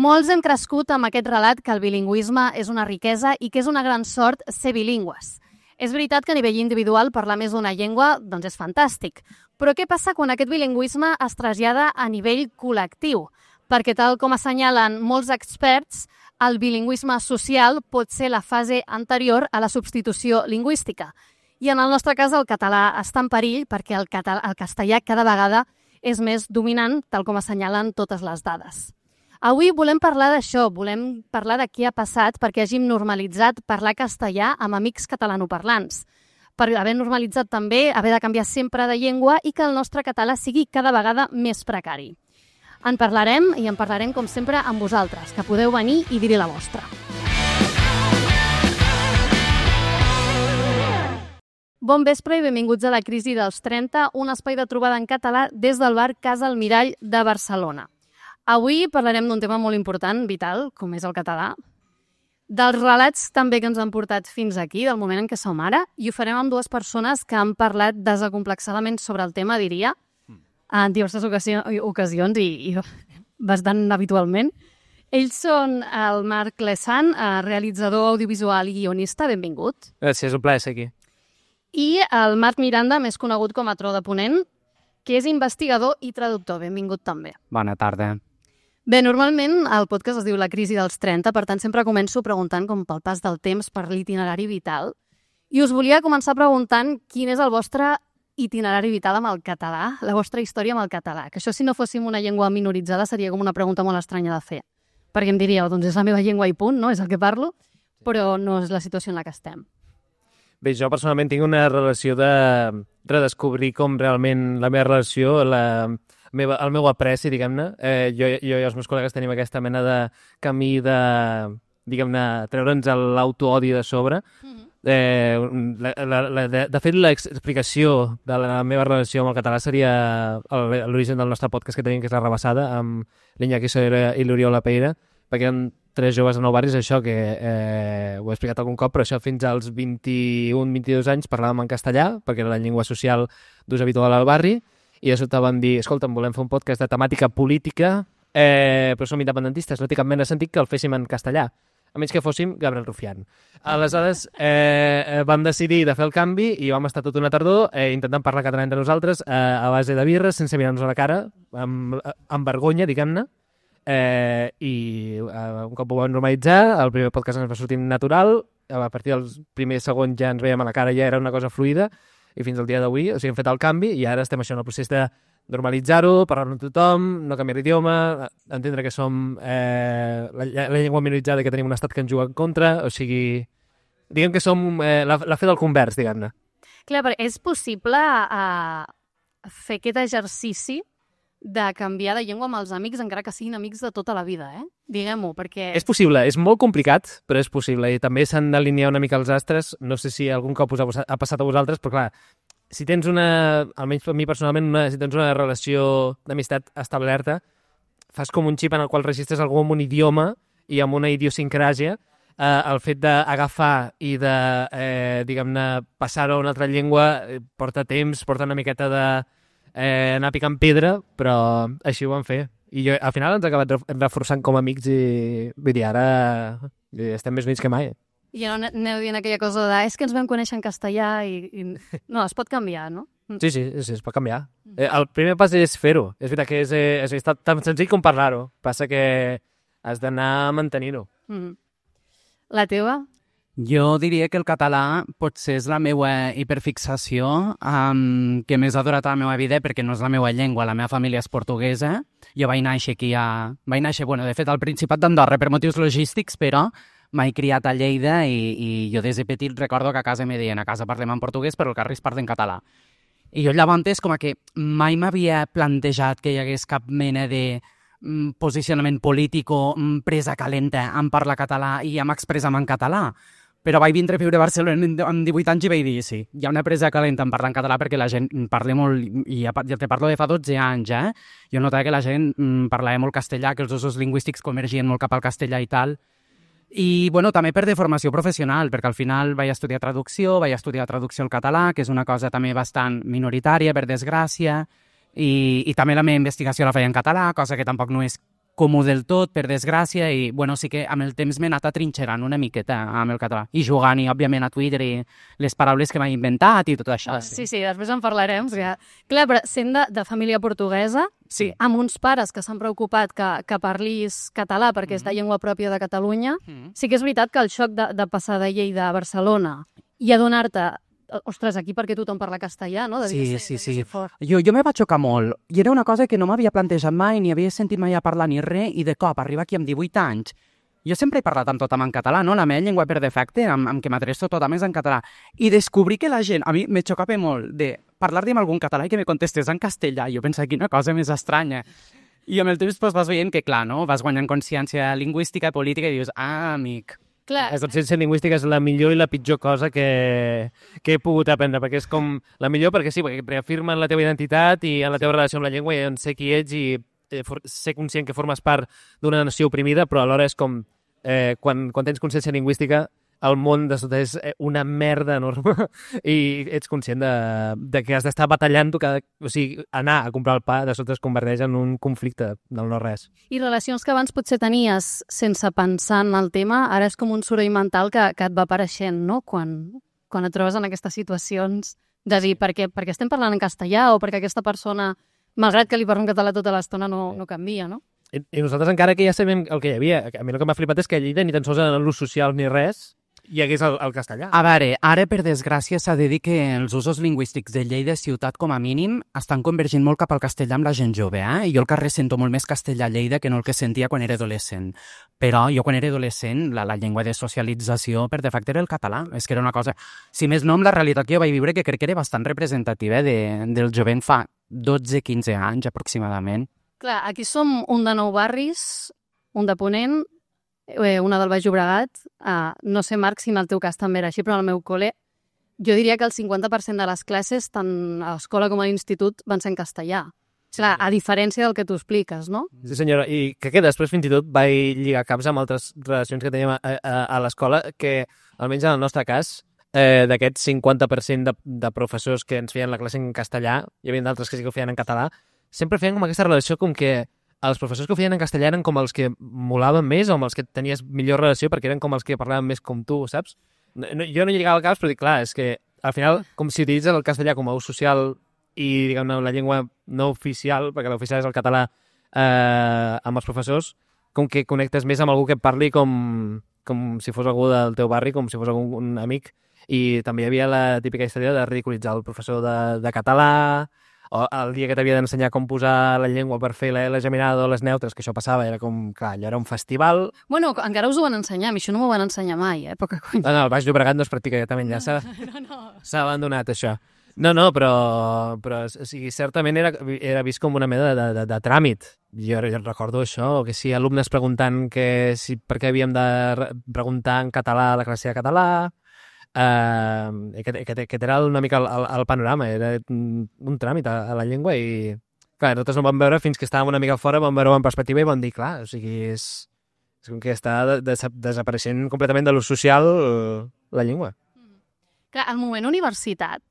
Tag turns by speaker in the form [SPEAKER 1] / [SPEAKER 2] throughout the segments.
[SPEAKER 1] Molts hem crescut amb aquest relat que el bilingüisme és una riquesa i que és una gran sort ser bilingües. És veritat que a nivell individual parlar més d'una llengua doncs és fantàstic, però què passa quan aquest bilingüisme es trasllada a nivell col·lectiu? Perquè tal com assenyalen molts experts, el bilingüisme social pot ser la fase anterior a la substitució lingüística. I en el nostre cas el català està en perill perquè el castellà cada vegada és més dominant, tal com assenyalen totes les dades. Avui volem parlar d'això, volem parlar de què ha passat perquè hàgim normalitzat parlar castellà amb amics catalanoparlants, per haver normalitzat també haver de canviar sempre de llengua i que el nostre català sigui cada vegada més precari. En parlarem com sempre amb vosaltres, que podeu venir i dir-hi la vostra. Bon vespre i benvinguts a la Crisi dels 30, un espai de trobada en català des del bar Casa Almirall de Barcelona. Avui parlarem d'un tema molt important, vital, com és el català, dels relats també que ens han portat fins aquí, del moment en què som ara, i ho farem amb dues persones que han parlat desacomplexadament sobre el tema, diria, en diverses ocasions i bastant habitualment. Ells són el Marc Lesan, realitzador audiovisual i guionista, benvingut.
[SPEAKER 2] Gràcies, és un plaer ser aquí.
[SPEAKER 1] I el Marc Miranda, més conegut com a Tro de Ponent, que és investigador i traductor, benvingut també.
[SPEAKER 2] Bona tarda.
[SPEAKER 1] Bé, normalment el podcast es diu La Crisi dels 30, per tant sempre començo preguntant com pel pas del temps per l'itinerari vital. I us volia començar preguntant quin és el vostre itinerari vital amb el català, la vostra història amb el català. Que això, si no fóssim una llengua minoritzada, seria com una pregunta molt estranya de fer. Perquè em diríeu, doncs és la meva llengua i punt, no? És el que parlo, però no és la situació en la que estem.
[SPEAKER 2] Bé, jo personalment tinc una relació de redescobrir com realment la meva relació, el meu apreci, diguem-ne. Jo i els meus col·legues tenim aquesta mena de camí de, diguem-ne, treure'ns l'autoodi de sobre. De fet, l'explicació de la meva relació amb el català seria l'origen del nostre podcast que tenim, que és La Rebassada, amb l'Iñaki Soler i l'Oriol Lapeira, perquè eren tres joves de nou barris, això que ho he explicat algun cop, però això fins als 21-22 anys parlàvem en castellà, perquè era la llengua social d'ús habitual al barri, i de sobte van dir, escolta'm, volem fer un podcast de temàtica política, però som independentistes, no té cap mena de sentit que el féssim en castellà, a menys que fóssim Gabriel Rufián. Aleshores vam decidir de fer el canvi i vam estar tota una tardor intentant parlar català entre nosaltres a base de birres, sense mirar-nos a la cara, amb vergonya, diguem-ne, i un cop ho vam normalitzar, el primer podcast ens va sortir natural, a partir dels primers segons ja ens veiem a la cara, ja era una cosa fluida, i fins al dia d'avui, o sigui, hem fet el canvi i ara estem això en el procés de normalitzar-ho, parlar-ho amb tothom, no canviar l'idioma, entendre que som la llengua minoritzada, que tenim un estat que ens juga en contra, o sigui, diguem que som la fe del convers, diguem-ne.
[SPEAKER 1] Clar, però és possible fer aquest exercici de canviar de llengua amb els amics, encara que siguin amics de tota la vida, Diguem-ho, perquè...
[SPEAKER 2] És possible, és molt complicat, però és possible, i també s'han d'alinear una mica els astres, no sé si algun cop us ha passat a vosaltres, però clar, si tens almenys per mi personalment, si tens una relació d'amistat establerta, fas com un xip en el qual registres algú amb un idioma i amb una idiosincràsia, el fet d'agafar i de, diguem-ne, passar-ho a una altra llengua porta temps, porta una miqueta de anar picant pedra, però així ho vam fer. I al final ens ha acabat reforçant com a amics i vull dir, ara estem més units que mai.
[SPEAKER 1] I no aneu dient aquella cosa de és que ens vam conèixer en castellà i... No, es pot canviar, no?
[SPEAKER 2] Sí, es pot canviar. El primer pas és fer-ho. És veritat que és tan senzill com parlar-ho. Passa que has d'anar mantenint-ho.
[SPEAKER 1] La teva?
[SPEAKER 3] Jo diria que el català potser és la meva hiperfixació que més ha durat a la meva vida perquè no és la meva llengua, la meva família és portuguesa. Jo vaig néixer aquí de fet, al Principat d'Andorra per motius logístics, però m'he criat a Lleida i jo des de petit recordo que a casa me deien a casa parlem en portuguès però el carrer es parla en català. I jo llavors és com que mai m'havia plantejat que hi hagués cap mena de posicionament polític o presa calenta en parlar català i en expressar-me en català. Però vaig vindre a viure a Barcelona amb 18 anys i vaig dir, sí, hi ha una presa calenta en parlar en català perquè la gent parla molt, i ja te parlo de fa 12 anys, Jo notava que la gent parlava molt castellà, que els usos lingüístics convergien molt cap al castellà i tal. I, bueno, també per deformació professional, perquè al final vaig estudiar traducció al català, que és una cosa també bastant minoritària, per desgràcia, i també la meva investigació la feia en català, cosa que tampoc no és comú del tot, per desgràcia, i bueno, sí que amb el temps m'he anat atrinxerant una miqueta amb el català. I jugant, i òbviament a Twitter, i les paraules que m'he inventat i tot això.
[SPEAKER 1] Sí, després en parlarem. Ja. Clar, però sent de família portuguesa,
[SPEAKER 3] Sí.
[SPEAKER 1] amb uns pares que s'han preocupat que parlis català perquè és de llengua pròpia de Catalunya, sí que és veritat que el xoc de passar de Lleida a Barcelona i adonar-te, ostres, aquí perquè tothom parla castellà, no?
[SPEAKER 3] Sí. Jo me vaig xocar molt. I era una cosa que no m'havia plantejat mai, ni havia sentit mai a parlar ni res, i de cop, arriba aquí amb 18 anys. Jo sempre he parlat amb tothom en català, no? La meva llengua per defecte, amb què m'adreço tothom és en català. I descobrir que la gent, a mi me xocava molt de parlar-li amb algun català i que me contestés en castellà. Jo pensava, quina cosa més estranya. I amb el temps vas veient que, clar, no? Vas guanyant consciència lingüística i política i dius, amic.
[SPEAKER 1] Clar.
[SPEAKER 2] La docència lingüística és la millor i la pitjor cosa que he pogut aprendre, perquè és com la millor perquè sí, perquè reafirmen la teva identitat i en la teva relació amb la llengua i en sé qui ets i ser conscient que formes part d'una nació oprimida, però alhora és com quan tens consciència lingüística el món de sota és una merda enorme i ets conscient de que has d'estar batallant-ho, o sigui, anar a comprar el pa de sota es converteix en un conflicte del no-res.
[SPEAKER 1] I relacions que abans potser tenies sense pensar en el tema, ara és com un soroll mental que et va apareixent, no? Quan et trobes en aquestes situacions de dir perquè estem parlant en castellà o perquè aquesta persona, malgrat que li parlo en català tota l'estona, no canvia, no?
[SPEAKER 2] I nosaltres encara que ja sabem el que hi havia, a mi el que m'ha flipat és que a Lleida ni tan sols en l'ús social ni res hi hagués el castellà.
[SPEAKER 3] A veure, ara per desgràcia s'ha de dir que els usos lingüístics de Lleida ciutat com a mínim estan convergint molt cap al castellà amb la gent jove, I jo al carrer sento molt més castellà a Lleida que no el que sentia quan era adolescent. Però jo quan era adolescent la llengua de socialització per defecte era el català. És que era una cosa, si més no, amb la realitat que jo vaig viure, que crec que era bastant representativa del jovent fa 12-15 anys aproximadament.
[SPEAKER 1] Clar, aquí som un de Nou Barris, un de Ponent, una del Baix Llobregat. No sé, Marc, si en el teu cas també era així, però en el meu col·le jo diria que el 50% de les classes, tant a l'escola com a l'institut, van ser en castellà. Clar, a diferència del que tu expliques, no?
[SPEAKER 2] Sí, senyora, i que després fins i tot vaig lligar caps amb altres relacions que teníem a l'escola, que almenys en el nostre cas, d'aquest 50% de professors que ens feien la classe en castellà, hi havia d'altres que sí que ho feien en català, sempre feien com aquesta relació com que els professors que ho feien en castellà eren com els que molaven més o amb els que tenies millor relació perquè eren com els que parlaven més com tu, saps? Jo no lligava al cap, però dic, clar, és que al final, com si utilitzes el castellà com a ús social i, diguem-ne, la llengua no oficial, perquè l'oficial és el català, amb els professors, com que connectes més amb algú que et parli com si fos algú del teu barri, com si fos un amic. I també hi havia la típica història de ridiculitzar el professor de català, o el dia que t'havia d'ensenyar com posar la llengua per fer la geminada o les neutres, que això passava, era com, clar, allò era un festival.
[SPEAKER 1] Bueno, encara us ho van ensenyar, a mi això no m'ho van ensenyar mai, poca conya.
[SPEAKER 2] No, el Baix Llobregat no es practica, ja també ja s'ha abandonat això. No, però o sigui, certament era vist com una mena de tràmit. Jo recordo això, o que sí, alumnes preguntant per què havíem de preguntar en català a la classe de català. Aquest era una mica el panorama, era un tràmit a la llengua i clar, nosaltres no vam veure fins que estàvem una mica fora, vam veure-ho en perspectiva i vam dir, clar, o sigui, és com que està desapareixent completament de l'ús social la llengua.
[SPEAKER 1] Clar, al moment universitat,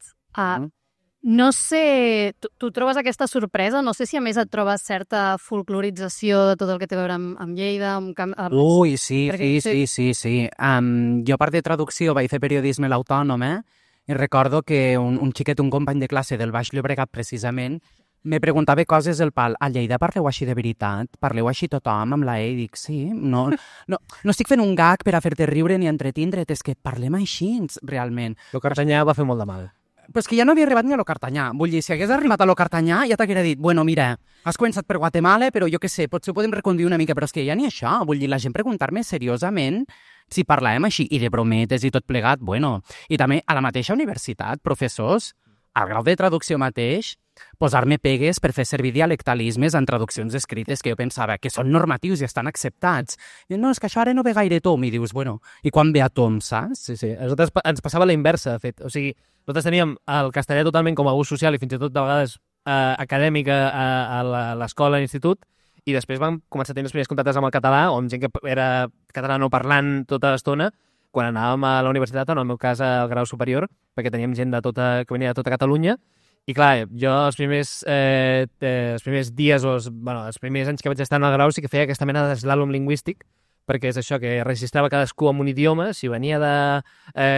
[SPEAKER 1] no sé, tu trobes aquesta sorpresa? No sé si a més et trobes certa folclorització de tot el que té a veure amb Lleida,
[SPEAKER 3] Ui, sí. Jo, a part de traducció, vaig fer periodisme a l'Autònom, i recordo que un xiquet, un company de classe del Baix Llobregat, precisament, me preguntava coses del pal. A Lleida parleu així de veritat? Parleu així tothom amb la E? I dic, sí, no estic fent un gag per a fer-te riure ni entretindre't, és que parlem així, realment.
[SPEAKER 2] El cartanyà va fer molt de mal.
[SPEAKER 3] Però és que ja no havia arribat ni a lo cartanyà. Vull dir, si hagués arribat a lo cartanyà, ja t'haguera dit, bueno, mira, has començat per Guatemala, però jo què sé, potser ho podem reconduir una mica, però és que ja ni això. Vull dir, la gent preguntar-me seriosament si parlàvem així, i de brometes i tot plegat, bueno. I també a la mateixa universitat, professors, al grau de traducció mateix, posar-me pegues per fer servir dialectalismes en traduccions escrites que jo pensava que són normatius i estan acceptats. I no, és que això ara no ve gaire tom. I dius, bueno, i quan ve a tom, saps?
[SPEAKER 2] Sí. A nosaltres ens passava la inversa, de fet. O sigui, nosaltres teníem el castellà totalment com a ús social i fins i tot de vegades acadèmic a l'escola, a l'institut, i després vam començar a tenir els primers contactes amb el català, o amb gent que era català no parlant tota l'estona, quan anàvem a la universitat, o en el meu cas al grau superior, perquè teníem gent que venia de tota Catalunya, I clar, jo els primers dies o els primers anys que vaig estar en el grau sí que feia aquesta mena d'eslàlom lingüístic, perquè és això, que registrava cadascú amb un idioma. Si venia de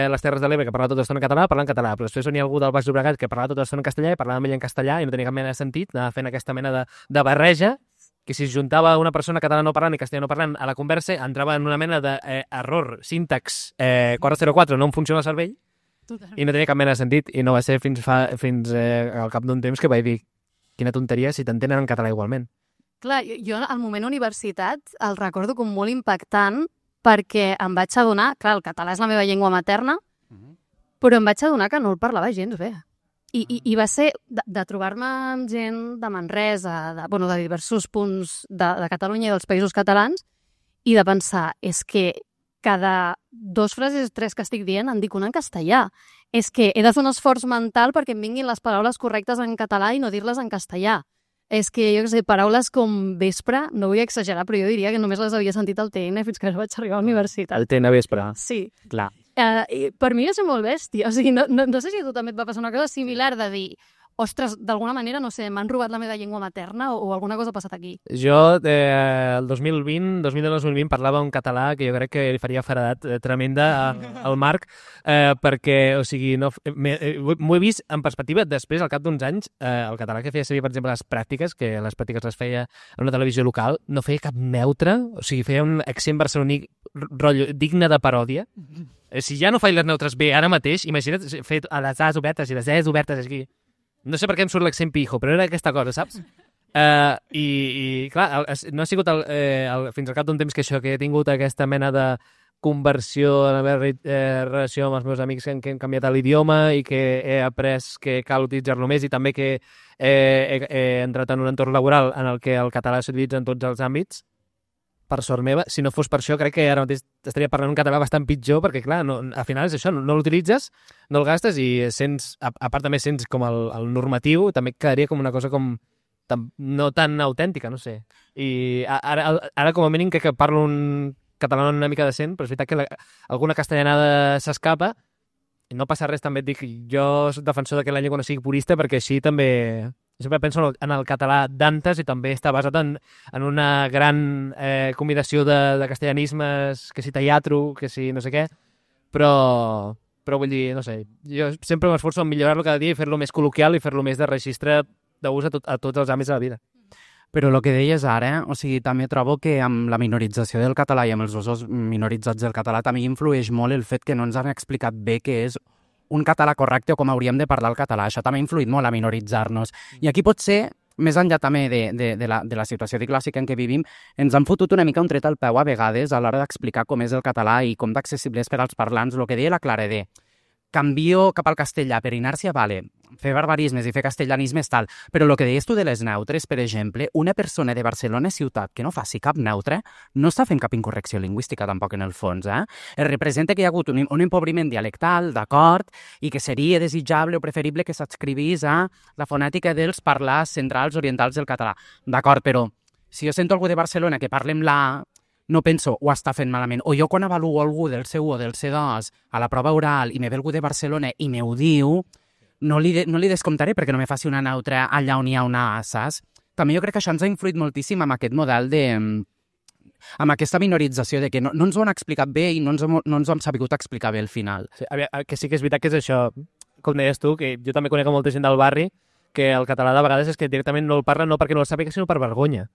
[SPEAKER 2] les Terres de l'Ebre, que parlava tota l'estona en català, parlava en català, però després venia algú del Baix Llobregat que parlava tota l'estona en castellà i parlava amb ell en castellà i no tenia cap mena de sentit, anava fent aquesta mena de barreja, que si es juntava una persona català no parlant i castellà no parlant a la conversa, entrava en una mena d'error, síntax 404, no em funciona el cervell, i no tenia cap mena de sentit, i no va ser fins al cap d'un temps que vaig dir quina tonteria si t'entenen en català igualment.
[SPEAKER 1] Clar, jo al moment universitat el recordo com molt impactant perquè em vaig adonar, clar, el català és la meva llengua materna, però em vaig adonar que no el parlava gens bé. I va ser de trobar-me amb gent de Manresa, de diversos punts de Catalunya i dels països catalans, i de pensar, és que cada 2 frases 3 que estic dient en dic una en castellà. És que he de fer un esforç mental perquè em vinguin les paraules correctes en català i no dir-les en castellà. És que, jo què sé, paraules com vespre, no vull exagerar, però jo diria que només les havia sentit al TN fins que no vaig arribar a la universitat.
[SPEAKER 2] El TN vespre.
[SPEAKER 1] Sí.
[SPEAKER 2] Clar.
[SPEAKER 1] Per mi va ser molt bèstia. O sigui, no sé si a tu també et va passar una cosa similar de dir, ostres, d'alguna manera, no sé, m'han robat la meva llengua materna o alguna cosa ha passat aquí.
[SPEAKER 2] Jo, el 2020 parlava un català que jo crec que li faria feredat tremenda al Marc, perquè, o sigui, m'ho he vist en perspectiva després, al cap d'uns anys, el català que feia servir, per exemple, les pràctiques, que les pràctiques les feia en una televisió local, no feia cap neutre, o sigui, feia un accent barceloní rotllo digne de paròdia. Si ja no faig les neutres bé ara mateix, imagina't fer a les A's obertes i les E's obertes aquí. No sé per què em surt l'accent pijo, però era aquesta cosa, saps? I clar, no ha sigut fins al cap d'un temps que he tingut aquesta mena de conversió en la meva relació amb els meus amics que han canviat l'idioma i que he après que cal utilitzar-lo més, i també que he entrat en un entorn laboral en el que el català s'utilitza en tots els àmbits. Per sort meva, si no fos per això, crec que ara mateix estaria parlant un català bastant pitjor, perquè clar, al final és això, no l'utilitzes, no el gastes i sents, a part també sents com el normatiu, també quedaria com una cosa com no tan autèntica, no sé. I ara com a mínim crec que parlo un català una mica decent, però és veritat que alguna castellanada s'escapa, i no passa res, també et dic, jo soc defensor que la llengua no sigui purista, perquè així també... Sempre penso en el català d'antes i també està basat en una gran combinació de castellanismes, que si teatro, que si no sé què, però vull dir, no sé, jo sempre m'esforço en millorar-lo cada dia i fer-lo més col·loquial i fer-lo més de registre d'ús a tots els àmbits de la vida.
[SPEAKER 3] Però el que deies ara, o sigui, també trobo que amb la minorització del català i amb els usos minoritzats del català també influeix molt el fet que no ens han explicat bé què és un català correcte o com hauríem de parlar el català. Això també ha influït molt a minoritzar-nos. I aquí potser, més enllà també de la situació clàssica en què vivim, ens han fotut una mica un tret al peu a vegades a l'hora d'explicar com és el català i com d'accessible és per als parlants. El que deia la Clara de canvio cap al castellà per inèrcia, vale, fer barbarismes i fer castellanismes tal, però el que deies tu de les neutres, per exemple, una persona de Barcelona ciutat que no faci cap neutre no està fent cap incorrecció lingüística tampoc en el fons, Es representa que hi ha hagut un empobriment dialectal, d'acord, i que seria desitjable o preferible que s'adscrivís a la fonètica dels parlars centrals orientals del català. D'acord, però si jo sento algú de Barcelona que parla amb la no penso, ho està fent malament. O jo quan avaluo algú del C1 o del C2 a la prova oral i me ve algú de Barcelona i me ho diu, no li descomptaré perquè no me faci una neutra allà on hi ha una A, saps? També jo crec que això ens ha influït moltíssim amb aquest model amb aquesta minorització de que no ens ho han explicat bé i no ens ho hem sabut explicar bé al final.
[SPEAKER 2] Sí, que sí que és veritat que és això, com deies tu, que jo també conec molta gent del barri, que el català de vegades és que directament no el parla no perquè no el sàpiga, sinó per vergonya.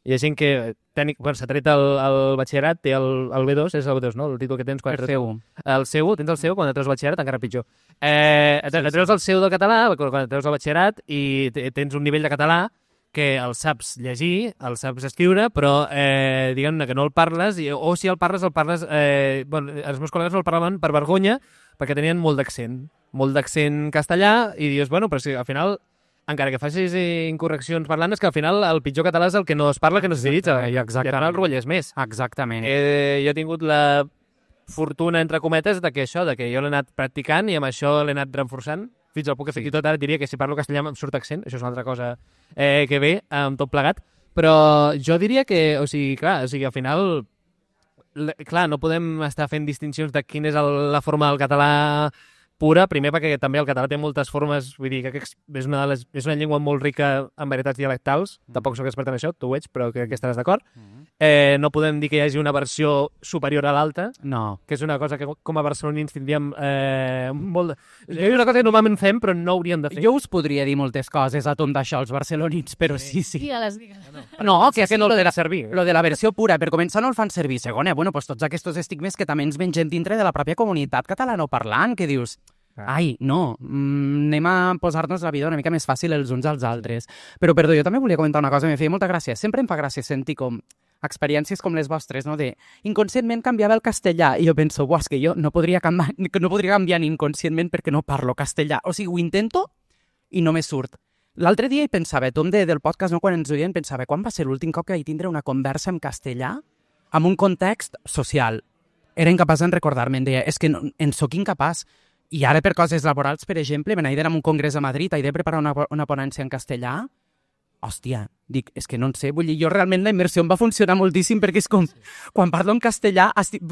[SPEAKER 2] Hi ha gent que s'ha tret el batxillerat, té el B2, és el B2, no? El títol que tens quan
[SPEAKER 3] el C1.
[SPEAKER 2] El C1, tens el C1, quan treus el batxillerat encara pitjor. Treus el C1 del català, quan treus el batxillerat i tens un nivell de català que el saps llegir, el saps escriure, però diguem-ne que no el parles, o si el parles, els meus col·legues no el parlaven per vergonya, perquè tenien molt d'accent castellà, i dius, bueno, però si al final, encara que facis incorreccions parlant, és que al final el pitjor català és el que no es parla, que no s'utilitza, i al final el rotlles més.
[SPEAKER 3] Exactament.
[SPEAKER 2] Jo he tingut la fortuna, entre cometes, de que jo l'he anat practicant i amb això l'he anat reforçant, fins al punt que fins i tot ara diria que si parlo castellà em surt accent, això és una altra cosa que ve amb tot plegat, però jo diria que, al final, clar, no podem estar fent distincions de quina és la forma del català pura, primer perquè també el català té moltes formes, vull dir que és una llengua molt rica en varietats dialectals, tampoc sóc expert en això, tu ho ets, però crec que estaràs d'acord. No podem dir que hi hagi una versió superior a l'altra,
[SPEAKER 3] No.
[SPEAKER 2] que és una cosa que com a barcelonins tindríem molt... És una cosa que normalment fem, però no hauríem de fer.
[SPEAKER 3] Jo us podria dir moltes coses a tom d'això, els barcelonins, però sí.
[SPEAKER 1] Digues.
[SPEAKER 3] No, que no
[SPEAKER 2] lo de la servir.
[SPEAKER 3] Lo de la versió pura, per començar no el fan servir. Segona, bueno, pues tots aquests estigmes que també ens mengem dintre de la pròpia comunitat catalanoparlant, que dius, ai, no, anem a posar-nos la vida una mica més fàcil els uns als altres. Però, perdó, jo també volia comentar una cosa, em feia molta gràcia. Sempre em fa gràcia sentir com experiències com les vostres, no? De inconscientment canviava el castellà i jo penso, és que jo no podria canviar inconscientment perquè no parlo castellà. O sigui, ho intento i no me surt. L'altre dia hi pensava, tom del podcast, no, quan ens oien, pensava, quan va ser l'últim cop que vaig tindre una conversa en castellà en un context social? Era incapaç de recordar-me, em deia, és que no, en sóc incapaç. I ara per coses laborals, per exemple, me n'he d'anar a un congrés a Madrid, he de preparar una ponència en castellà. Hòstia, dic, és que no en sé, vull dir, jo realment la immersió em va funcionar moltíssim perquè és com, quan parlo en castellà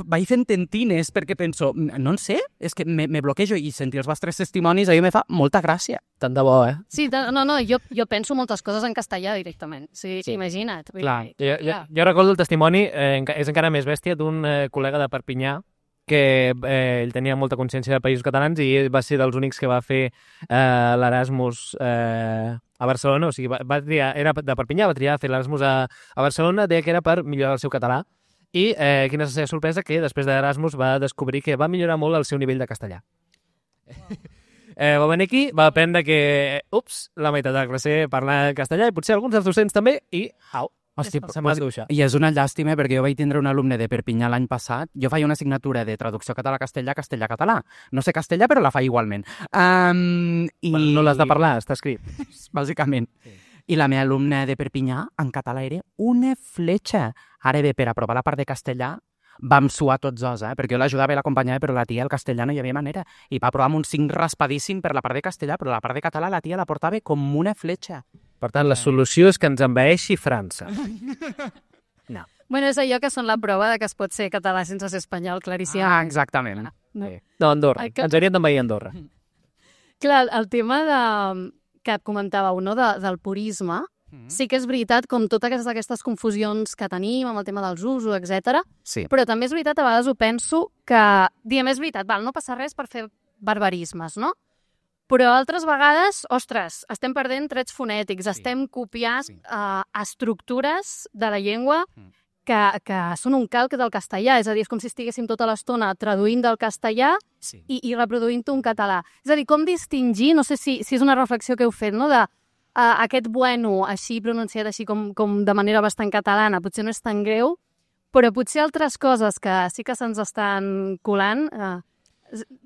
[SPEAKER 3] vaig fent tentines perquè penso, no en sé, és que me bloquejo i sentir els vostres testimonis a mi me fa molta gràcia.
[SPEAKER 2] Tant de bo,
[SPEAKER 1] Sí, no, jo penso moltes coses en castellà directament, sí. Imagina't.
[SPEAKER 3] Clar.
[SPEAKER 2] Jo recordo el testimoni, és encara més bèstia, d'un col·lega de Perpinyà, que ell tenia molta consciència de països catalans i va ser dels únics que va fer l'Erasmus a Barcelona, o sigui, era de Perpinyà, va triar fer l'Erasmus a Barcelona, deia que era per millorar el seu català i quina és la seva sorpresa, que després de l'Erasmus va descobrir que va millorar molt el seu nivell de castellà. Va venir aquí, va aprendre que, la meitat de la classe parla castellà i potser alguns dels docents també i,
[SPEAKER 3] Hòstia,
[SPEAKER 2] se'n va duixar.
[SPEAKER 3] I és una llàstima perquè jo vaig tindre un alumne de Perpinyà l'any passat. Jo feia una assignatura de traducció català-castellà, castellà-català. No sé castellà, però la faig igualment.
[SPEAKER 2] No l'has de parlar, està escrit.
[SPEAKER 3] Bàsicament. I la meva alumna de Perpinyà, en català, era una fletxa. Ara bé, per aprovar la part de castellà, vam suar tots dos, perquè jo l'ajudava i l'acompanyava, però la tia, el castellà, no hi havia manera. I va aprovar amb un 5 raspadíssim per la part de castellà, però la part de català la tia la portava com una fletxa.
[SPEAKER 2] Per tant, la solució és que ens envaeixi França. No.
[SPEAKER 1] Bueno, és allò que són la prova de que es pot ser català sense ser espanyol, claríssim.
[SPEAKER 3] Exactament.
[SPEAKER 2] No, Andorra. Ens hauríem d'envair Andorra.
[SPEAKER 1] Clar, el tema que comentàveu, no, del purisme, sí que és veritat, com totes aquestes confusions que tenim amb el tema dels usos, etc.
[SPEAKER 3] Sí.
[SPEAKER 1] Però també és veritat, a vegades ho penso, que, diem, és veritat, no passa res per fer barbarismes, no? Però altres vegades, ostres, estem perdent trets fonètics, estem copiant estructures de la llengua que són un calc del castellà, és a dir, és com si estiguéssim tota l'estona traduint del castellà i reproduint-ho en català. És a dir, com distingir, no sé si és una reflexió que heu fet, no?, de aquest bueno, així pronunciat així com de manera bastant catalana, potser no és tan greu, però potser altres coses que sí que se'ns estan colant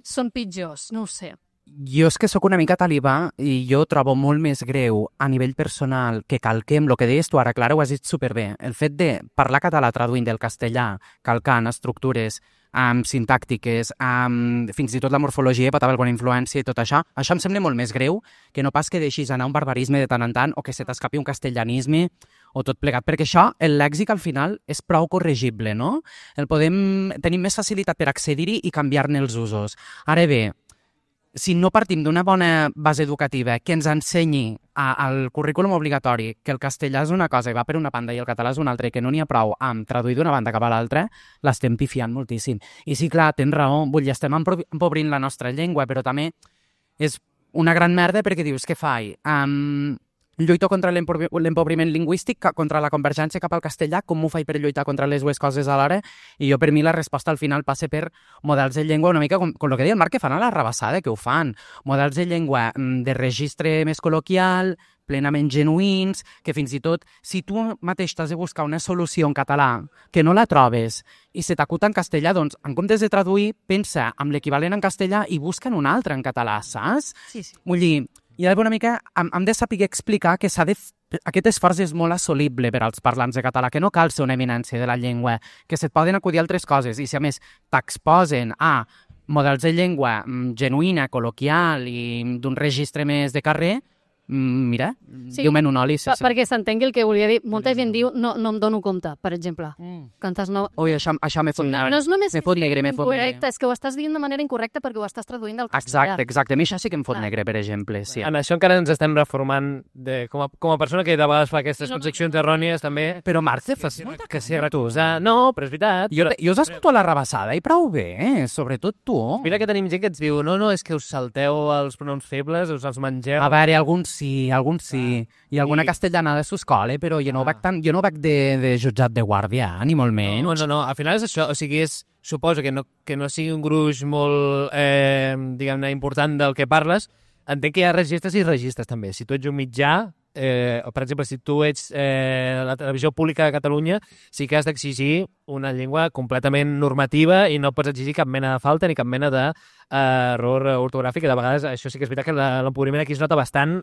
[SPEAKER 1] són pitjors, no ho sé.
[SPEAKER 3] Jo és que sóc una mica talibà i jo trobo molt més greu a nivell personal que calquem, el que deies tu ara, Clara, ho has dit superbé. El fet de parlar català traduint del castellà, calcant estructures sintàctiques, fins i tot la morfologia pot haver alguna influència i tot això em sembla molt més greu que no pas que deixis anar un barbarisme de tant en tant o que se t'escapi un castellanisme o tot plegat, perquè això, el lèxic al final és prou corregible, no? Tenim més facilitat per accedir-hi i canviar-ne els usos. Ara bé, si no partim d'una bona base educativa que ens ensenyi al currículum obligatori que el castellà és una cosa i va per una banda i el català és una altra i que no n'hi ha prou amb traduir d'una banda cap a l'altra, l'estem pifiant moltíssim. I sí, clar, tens raó, estem empobrint la nostra llengua, però també és una gran merda perquè dius, què faig? Lluito contra l'empobriment lingüístic, contra la convergència cap al castellà, com ho faig per lluitar contra les dues coses alhora? I jo, per mi, la resposta al final passa per models de llengua una mica com el que deia el Marc, que fan a la rabassada, que ho fan. Models de llengua de registre més col·loquial, plenament genuïns, que fins i tot, si tu mateix t'has de buscar una solució en català que no la trobes i se t'acuta en castellà, doncs, en comptes de traduir, pensa amb l'equivalent en castellà i busca'n un altre en català, saps?
[SPEAKER 1] Sí.
[SPEAKER 3] Vull dir, i una mica hem de saber explicar que aquest esforç és molt assolible per als parlants de català, que no cal ser una eminència de la llengua, que se't poden acudir altres coses, i si a més t'exposen a models de llengua genuïna, col·loquial i d'un registre més de carrer, mira,
[SPEAKER 1] Sí,
[SPEAKER 3] diu-me'n un oli. Sí, sí.
[SPEAKER 1] Perquè s'entengui el que volia dir. Molta gent diu no em dono compte, per exemple. Cantes no...
[SPEAKER 3] Ui, això m'he fot negre.
[SPEAKER 1] No és només
[SPEAKER 3] Me fot negre, me fot
[SPEAKER 1] incorrecte,
[SPEAKER 3] negre.
[SPEAKER 1] és que ho estàs dient de manera incorrecta perquè ho estàs traduint del castellà.
[SPEAKER 3] Exacte. A mi això sí que em fot negre, per exemple. Sí.
[SPEAKER 2] En això encara ens estem reformant com a persona que de vegades fa aquestes concepcions errònies també.
[SPEAKER 3] Però Marce, fas molta
[SPEAKER 2] Que sí, retusa. No, però és veritat.
[SPEAKER 3] Jo us escolto a la rebassada i prou bé, sobretot tu.
[SPEAKER 2] Mira que tenim gent que ens diu no, és que us salteu els pronoms febles, us els mengeu.
[SPEAKER 3] A veure, alguns sí. I alguna castellana de l'escola, però jo no ho veig de jutjat de guàrdia, ni molt menys.
[SPEAKER 2] No, al final és això, o sigui, suposo que no sigui un gruix molt, diguem-ne, important del que parles. Entenc que hi ha registres i registres també. Si tu ets un mitjà, o per exemple, si tu ets la televisió pública de Catalunya, sí que has d'exigir una llengua completament normativa i no pots exigir cap mena de falta ni cap mena d'error ortogràfic, i de vegades això sí que és veritat que l'empobriment aquí es nota bastant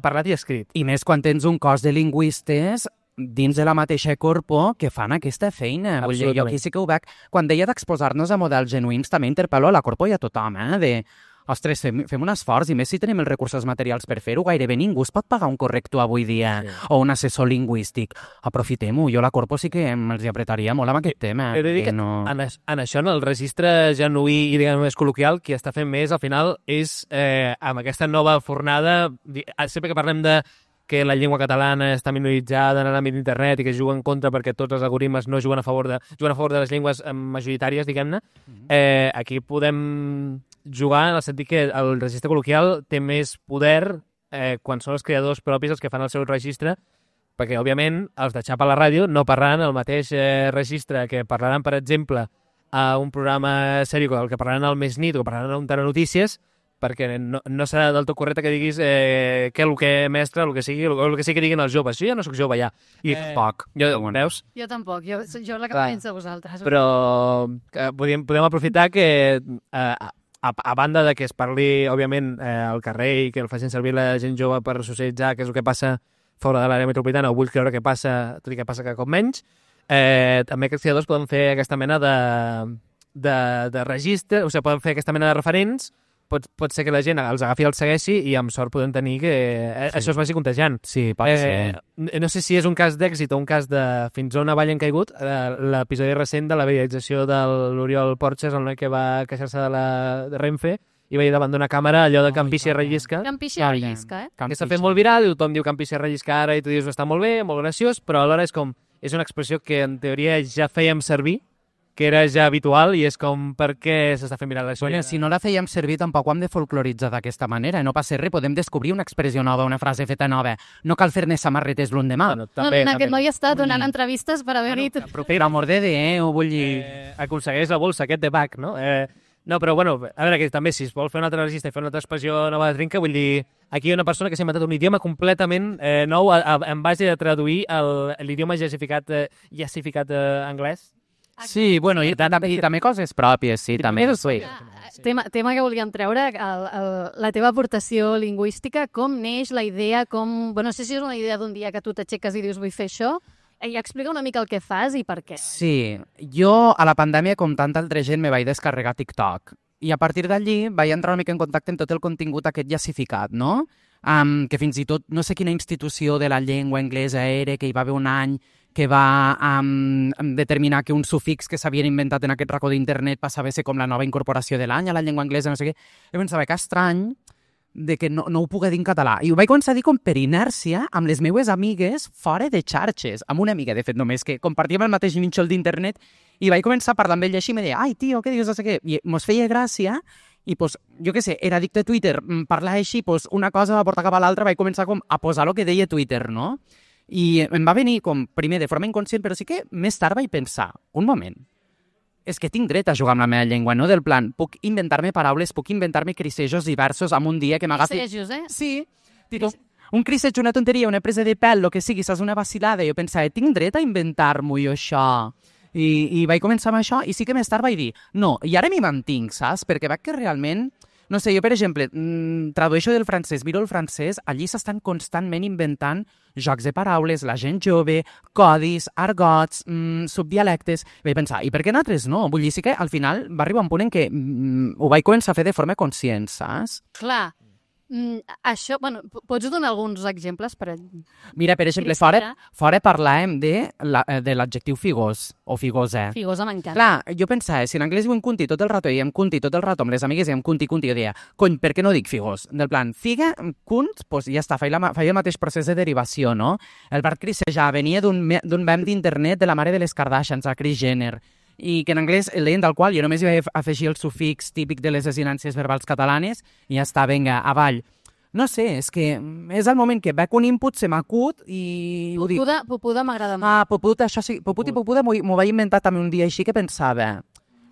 [SPEAKER 2] parlat i escrit.
[SPEAKER 3] I més quan tens un cos de lingüistes dins de la mateixa corpo que fan aquesta feina. Vull dir, jo aquí sí que ho veig. Quan deia d'exposar-nos a models genuïns, també interpel·lo a la corpo i a tothom, de... Ostres, fem un esforç, i més si tenim els recursos materials per fer-ho, gairebé ningú es pot pagar un corrector avui dia, o un assessor lingüístic. Aprofitem-ho. Jo a la corpo sí que els apretaria molt amb aquest tema.
[SPEAKER 2] He de dir que en això, en el registre genuí i, diguem, més col·loquial, qui està fent més, al final, és amb aquesta nova fornada, sempre que parlem de que la llengua catalana està minoritzada en l'àmbit d'internet i que juga en contra perquè tots els algoritmes no juguen a favor de les llengües majoritàries, diguem-ne, aquí podem jugar en el sentit que el registre col·loquial té més poder quan són els creadors propis els que fan el seu registre, perquè, òbviament, els de xapa a la ràdio no parlaran el mateix registre que parlaran, per exemple, a un programa sèrio, el que parlaran al Més Nit o que parlaran a un Telenotícies, perquè no serà del tot correcte que diguis que el que mestre, el que sigui que diguin els joves. Jo ja no sóc jove, ja. I poc. Veus?
[SPEAKER 1] Jo tampoc. Jo la que penso a vosaltres.
[SPEAKER 2] Però podem aprofitar que a banda de que es parli, òbviament, al carrer i que el facin servir la gent jove per socialitzar, que és el que passa fora de l'àrea metropolitana, o vull creure que passa, tot i que passa cada cop menys, també aquests creadors poden fer aquesta mena de registre, o sigui, poden fer aquesta mena de referents. Pot ser que la gent els agafi i els segueixi i amb sort podem tenir que això es vagi contagiant.
[SPEAKER 3] Sí, pot ser.
[SPEAKER 2] No sé si és un cas d'èxit o un cas de fins on avall han caigut l'episodi recent de la viralització de l'Oriol Porches, el noi que va queixar-se de Renfe i va ir davant d'una càmera allò de Campici rellisca.
[SPEAKER 1] Campici rellisca,
[SPEAKER 2] Que s'ha fet molt viral i tothom diu Campici rellisca ara i tu dius està molt bé, molt graciós, però alhora és una expressió que en teoria ja fèiem servir, que era ja habitual, i és com per què s'està fent viral això.
[SPEAKER 3] Bueno, si no la fèiem servir, tampoc ho hem de folcloritzar d'aquesta manera. No passa res, podem descobrir una expressió nova, una frase feta nova. No cal fer-ne samarretes l'endemà.
[SPEAKER 1] Aquest noi està donant entrevistes per haver dit...
[SPEAKER 3] Per amor de Déu, vull dir...
[SPEAKER 2] Aconsegueix la bolsa, aquest de bac, no? No, però, bueno, a veure, que també, si es vol fer un altre registre i fer una altra expressió nova de trinca, vull dir, aquí hi ha una persona que s'ha inventat un idioma completament nou en base a traduir l'idioma jacificat anglès.
[SPEAKER 3] Sí, bueno, i també coses pròpies, sí, també.
[SPEAKER 1] Tema que volíem treure, la teva aportació lingüística, com neix la idea, no sé si és una idea d'un dia que tu t'aixeques i dius vull fer això, i explica una mica el que fas i per què.
[SPEAKER 3] Sí, jo a la pandèmia, com tanta altra gent, me vaig descarregar TikTok, i a partir d'allí vaig entrar una mica en contacte amb tot el contingut aquest jacificat, no? Que fins i tot, no sé quina institució de la llengua anglesa era, que hi va haver un any que va determinar que un sufix que s'havien inventat en aquest racó d'internet passava a ser com la nova incorporació de l'any a la llengua anglesa, no sé què. Jo pensava que estrany de que no ho pugui dir en català. I ho vaig començar a dir com per inèrcia amb les meues amigues fora de xarxes. Amb una amiga, de fet, només, que compartíem el mateix nínxol d'internet, i vaig començar a parlar amb ella així i me deia, ai, tio, què dius, no sé què. I mos feia gràcia, i pues, jo què sé, era addicte a Twitter, parlar així, pues, una cosa va portar cap a l'altra, vaig començar com a posar el que deia Twitter, no? I em va venir com, primer, de forma inconscient, però sí que més tard vaig pensar, un moment, és que tinc dret a jugar amb la meva llengua, no del plan, puc inventar-me paraules, puc inventar-me crisejos diversos en un dia que m'agafi...
[SPEAKER 1] Crisejos,
[SPEAKER 3] Sí, un criseig, una tonteria, una presa de pèl, el que sigui, saps, una vacilada, i jo pensava, tinc dret a inventar-m'ho jo això. I vaig començar amb això, i sí que més tard vaig dir, no, i ara m'hi mantinc, saps? Perquè veig que realment... No sé, jo, per exemple, tradueixo del francès, miro el francès, allí s'estan constantment inventant jocs de paraules, la gent jove, codis, argots, subdialectes... Vaig pensar, i per què nosaltres no? Vull dir, sí que al final va arribar un punt en què ho vaig començar a fer de forma conscient, saps?
[SPEAKER 1] Clar. Això, bueno, pots donar alguns exemples?
[SPEAKER 3] Mira, per exemple, fora parlàvem de l'adjectiu figós o figosa.
[SPEAKER 1] Figosa m'encanta.
[SPEAKER 3] Clar, jo pensava, si en anglès diuen cunti tot el rato, i diem cunti tot el rato, amb les amigues diem cunti, jo deia, cony, per què no dic figós? Del plan, figa, cunt, doncs ja està, feia el mateix procés de derivació, no? El Bart Crisejar venia d'un mem d'internet de la mare de les Kardashians, a Kris Jenner, i que en anglès el deien tal qual, jo només hi vaig afegir el sufix típic de les desinències verbals catalanes i ja està, vinga, avall. No sé, és que és el moment que veig un input, se m'acut i ho dic.
[SPEAKER 1] Popuda m'agrada molt.
[SPEAKER 3] Poput, això sí, poput i popuda m'ho vaig inventar també un dia així que pensava,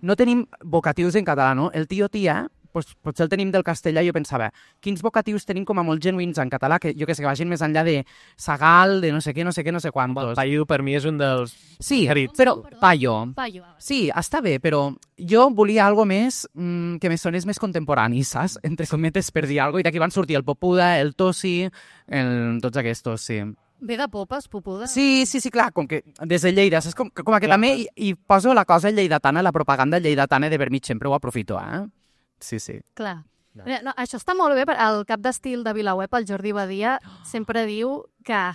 [SPEAKER 3] no tenim vocatius en català, no? El tio-tia, potser el tenim del castellà, jo pensava, quins vocatius tenim com a molt genuïns en català, que jo que sé, que vagin més enllà de sagal, de no sé què, no sé quantos.
[SPEAKER 2] Paio per mi és un dels...
[SPEAKER 3] Sí, però paio. Sí, està bé, però jo volia algo més que me sonés més contemporani, saps? Entre cometes per dir alguna cosa, i d'aquí van sortir el popuda, el tossi, tots aquests, sí.
[SPEAKER 1] Ve de popes, popuda?
[SPEAKER 3] Sí, clar, com que des de Lleida, saps? Com que també hi poso la cosa lleidatana, la propaganda lleidatana de per mig, sempre ho aprofito, Sí.
[SPEAKER 1] Clar. No, això està molt bé, el cap d'estil de VilaWeb, el Jordi Badia, sempre diu que...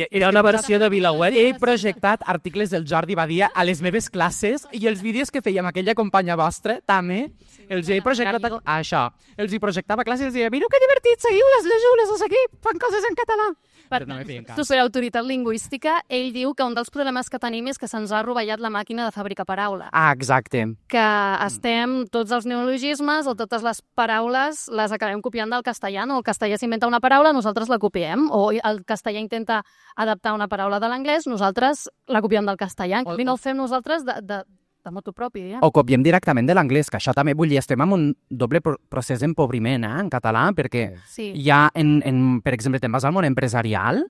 [SPEAKER 2] Era una versió de VilaWeb.
[SPEAKER 3] He projectat articles del Jordi Badia a les meves classes i els vídeos que fèiem aquella companya vostra, també, els he projectat això. Els hi projectava a classes i els deia, mireu que divertit, seguiu-les, llegiu-les, no sé què, fan coses en català.
[SPEAKER 1] Tu ser autoritat lingüística, ell diu que un dels problemes que tenim és que se'ns ha rovellat la màquina de fabricar paraula.
[SPEAKER 3] Exacte.
[SPEAKER 1] Que estem, tots els neologismes o totes les paraules les acabem copiant del castellà, no? El castellà s'inventa una paraula, nosaltres la copiem, o el castellà intenta adaptar una paraula de l'anglès, nosaltres la copiem del castellà, i no ho fem nosaltres de motu propi, diguem.
[SPEAKER 3] O copiem directament de l'anglès, que això també vull dir, estem en un doble procés d'empobriment, en català, perquè hi ha, per exemple, te'n vas al món empresarial,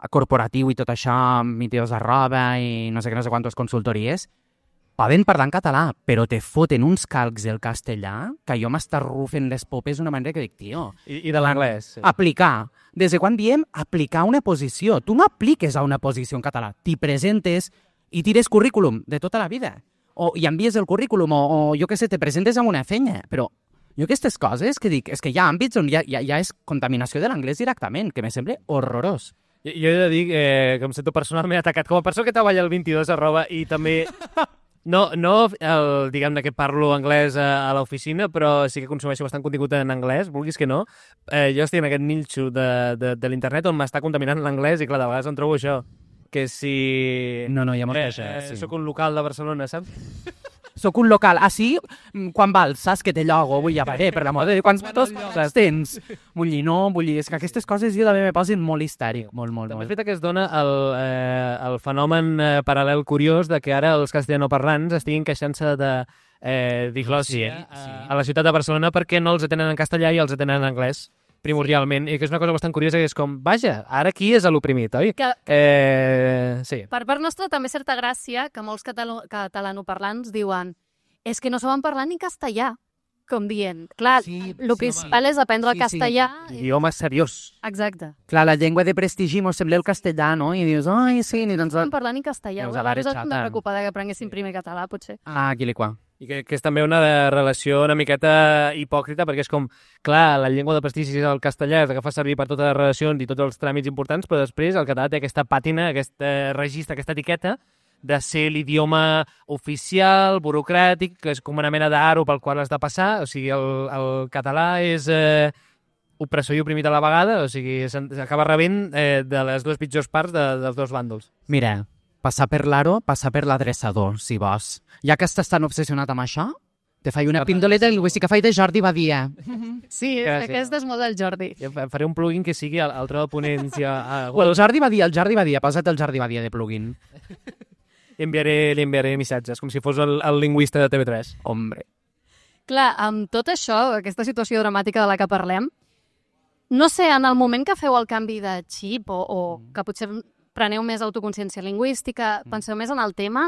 [SPEAKER 3] corporatiu i tot això, miteos de roba i no sé què, no sé quantes consultories, poden parlar en català, però te foten uns calcs del castellà que jo m'estarrufen les popes d'una manera que dic, tio...
[SPEAKER 2] I de l'anglès. Sí.
[SPEAKER 3] Aplicar. Des de quan diem aplicar una posició? Tu no apliques a una posició en català, t'hi presentes i tires currículum de tota la vida. I envies el currículum, o jo què sé, te presentes amb una feina, però jo aquestes coses que dic, és que hi ha àmbits on ja és contaminació de l'anglès directament, que me sembla horrorós.
[SPEAKER 2] Jo he de dir que em sento personalment atacat com a persona que treballa al 22 i també... No, diguem-ne que parlo anglès a l'oficina, però sí que consumeixo bastant contingut en anglès, vulguis que no. Jo estic en aquest nínxol de l'internet on m'està contaminant l'anglès i, clar, de vegades em trobo això. Que si...
[SPEAKER 3] No, hi ha molta gent, sí.
[SPEAKER 2] Soc un local de Barcelona, saps?
[SPEAKER 3] Soc un local. Sí, quan vals, saps que té llogo? Vull dir, per l'amor de Déu, quants les tens? Vull dir, és que aquestes coses jo també me posen molt histèric, molt.
[SPEAKER 2] També és veritat que es dona el fenomen paral·lel curiós de que ara els castellanoparlants estiguin queixant-se de diglòssia a la ciutat de Barcelona perquè no els atenen en castellà i els atenen en anglès. Primordialment, i que és una cosa bastant curiosa, que és com, vaja, ara qui és l'oprimit, oi? Sí.
[SPEAKER 1] Per part nostra també certa gràcia que molts catalanoparlants diuen és que no saben parlar ni castellà, com dient. Clar, el que val és aprendre el castellà.
[SPEAKER 2] Idioma seriós.
[SPEAKER 1] Exacte.
[SPEAKER 3] Clar, la llengua de prestigi mos sembla el castellà, no? I dius, ai, sí, ni doncs...
[SPEAKER 1] No saben parlar ni castellà. Nosaltres hem de preocupar que aprenguessin primer català, potser.
[SPEAKER 3] Quiliquà.
[SPEAKER 2] I que és també una relació una miqueta hipòcrita, perquè és com, clar, la llengua de prestigi és el castellà, és la que fa servir per totes les relacions i tots els tràmits importants, però després el català té aquesta pàtina, aquest registre, aquesta etiqueta de ser l'idioma oficial, burocràtic, que és com una mena d'aro pel qual has de passar, o sigui, el català és opressor i oprimit a la vegada, o sigui, s'acaba rebent de les dues pitjors parts dels dos bàndols.
[SPEAKER 3] Mira, passar per l'aro, passar per l'adreçador, si vols. Ja que estàs tan obsessionat amb això, te faig una pindoleta lingüística, faig de Jordi Badia.
[SPEAKER 1] Sí, aquest és molt del Jordi.
[SPEAKER 2] Faré un plugin que sigui el tro de ponència.
[SPEAKER 3] El Jordi Badia, posa't el Jordi Badia de plugin.
[SPEAKER 2] Li enviaré missatges, com si fos el lingüista de TV3.
[SPEAKER 3] Hombre.
[SPEAKER 1] Clar, amb tot això, aquesta situació dramàtica de la que parlem, no sé, en el moment que feu el canvi de xip o que potser preneu més autoconsciència lingüística, penseu més en el tema,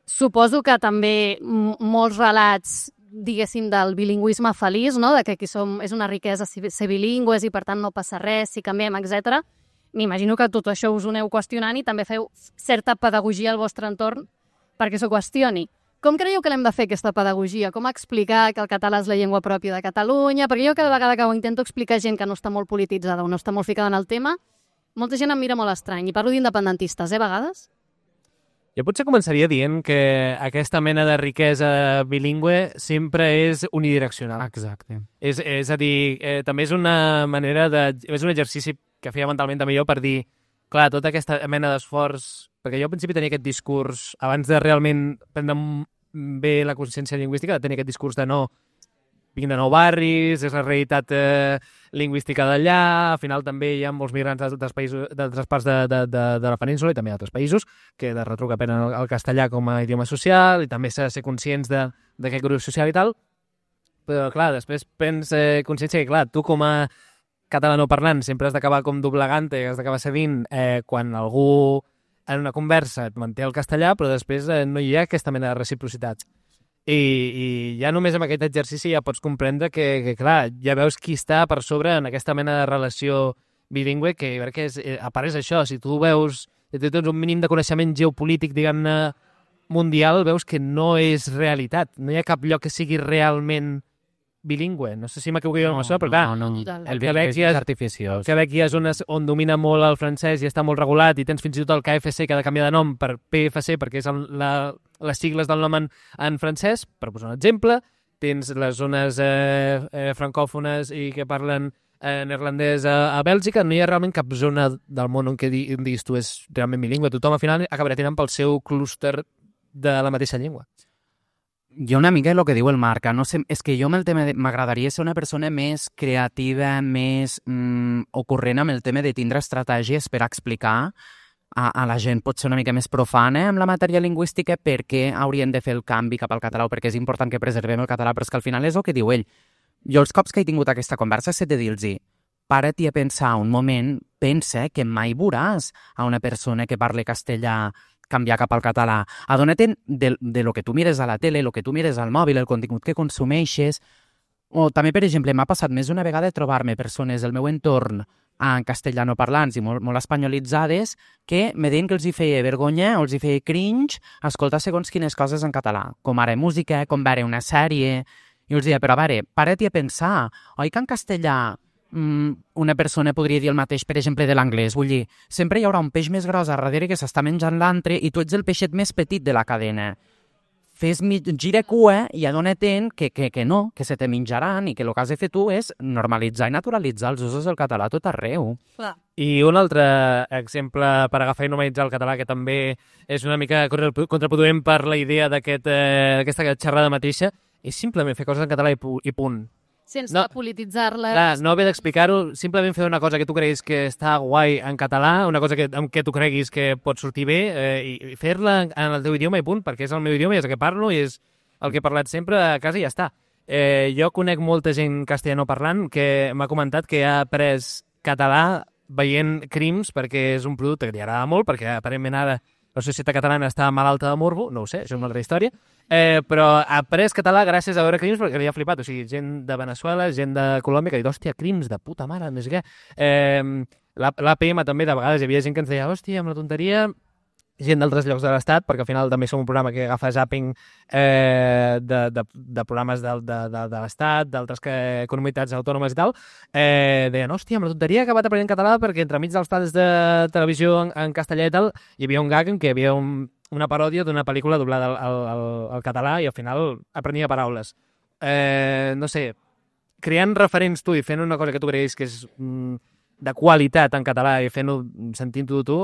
[SPEAKER 1] suposo que també molts relats, diguéssim, del bilingüisme feliç, no? De que aquí és una riquesa ser bilingües i per tant no passa res si canviem, etc. M'imagino que tot això us ho aneu qüestionant i també feu certa pedagogia al vostre entorn perquè s'ho qüestioni. Com creieu que l'hem de fer, aquesta pedagogia? Com explicar que el català és la llengua pròpia de Catalunya? Perquè jo cada vegada que ho intento explicar a gent que no està molt polititzada o no està molt ficada en el tema, molta gent em mira molt estrany. I parlo d'independentistes, a vegades?
[SPEAKER 2] Jo potser començaria dient que aquesta mena de riquesa bilingüe sempre és unidireccional.
[SPEAKER 3] Exacte.
[SPEAKER 2] És a dir, també és una manera és un exercici que feia mentalment també jo per dir, clar, tota aquesta mena d'esforç, perquè jo al principi tenia aquest discurs, abans de realment prendre bé la consciència lingüística, de tenir aquest discurs de no, vinc de nou barris, és la realitat lingüística d'allà, al final també hi ha molts migrants d'altres parts de la península i també d'altres països que de retruc aprenen el castellà com a idioma social i també s'ha de ser conscients d'aquest grup social i tal, però clar, després prens consciència que clar, tu com a catalanoparlant sempre has d'acabar com doblegant-te, has d'acabar cedint quan algú en una conversa et manté el castellà, però després no hi ha aquesta mena de reciprocitat. I ja només amb aquest exercici ja pots comprendre que clar, ja veus qui està per sobre en aquesta mena de relació bilingüe, que jo crec que a part és això, si tu veus, si tu tens un mínim de coneixement geopolític, diguem-ne, mundial, veus que no és realitat. No hi ha cap lloc que sigui realment bilingüe. No sé si m'equivoco amb això, però clar,
[SPEAKER 3] el Quebec és artificiós.
[SPEAKER 2] El Quebec hi ha zones on domina molt el francès i està molt regulat i tens fins i tot el KFC que ha de canviar de nom per PFC perquè és les sigles del nom en francès, per posar un exemple. Tens les zones francòfones i que parlen neerlandès a Bèlgica. No hi ha realment cap zona del món on diguis tu és realment bilingüe. Tothom al final acabarà tirant pel seu clúster de la mateixa llengua.
[SPEAKER 3] Jo una mica el que diu el Marc, no sé, és que jo amb el tema m'agradaria ser una persona més creativa, més ocorrent amb el tema de tindre estratègies per explicar a la gent potser una mica més profana amb la matèria lingüística per què haurien de fer el canvi cap al català o perquè és important que preservem el català, però és que al final és el que diu ell. Jo els cops que he tingut aquesta conversa he de dir-los para-t'hi a pensar un moment, pensa que mai veuràs a una persona que parli castellà canviar cap al català. Adona-te'n de lo que tu mires a la tele, lo que tu mires al mòbil, el contingut que consumeixes. O també, per exemple, m'ha passat més d'una vegada trobar-me persones del meu entorn en castellanoparlants i molt espanyolitzades que me deien que els hi feia vergonya o els hi feia cringe escoltar segons quines coses en català, com ara música, com veure una sèrie. I els deia, però a veure, para-t'hi a pensar, oi que en castellà una persona podria dir el mateix, per exemple, de l'anglès. Vull dir, sempre hi haurà un peix més gros a darrere que s'està menjant l'altre i tu ets el peixet més petit de la cadena. Gira cua i adona-te'n que no, que se te menjaran i que el que has de fer tu és normalitzar i naturalitzar els usos del català a tot arreu.
[SPEAKER 1] Clar.
[SPEAKER 2] I un altre exemple per agafar i normalitzar el català, que també és una mica contraproduent per la idea d'aquesta xerrada mateixa, és simplement fer coses en català i punt.
[SPEAKER 1] Sense polititzar-les.
[SPEAKER 2] Clar, no haver d'explicar-ho, simplement fer una cosa que tu creguis que està guai en català, una cosa amb què tu creguis que pot sortir bé i fer-la en el teu idioma i punt, perquè és el meu idioma i és el que parlo i és el que he parlat sempre a casa i ja està. Jo conec molta gent castellanoparlant que m'ha comentat que ha après català veient Crims perquè és un producte que li agrada molt, perquè aparentment ara la societat catalana està malalta de morbo, no ho sé, això és una altra història, però ha après català gràcies a veure Crims perquè li ha flipat, o sigui, gent de Veneçuela, gent de Colòmbia, que ha dit, hòstia, Crims, de puta mare, més què. L'APM també, de vegades, hi havia gent que ens deia, hòstia, amb la tonteria, gent d'altres llocs de l'Estat, perquè al final també som un programa que agafa zapping de programes de l'Estat, d'altres comunitats autònomes i tal, deien, hòstia, amb la tonteria he acabat aprenent català perquè entremig dels talls de televisió en castellà i tal, hi havia un gag en què hi havia una paròdia d'una pel·lícula doblada al català i al final aprenia paraules. No sé, creant referents tu i fent una cosa que tu creguis que és de qualitat en català i fent-ho sentint-ho tu,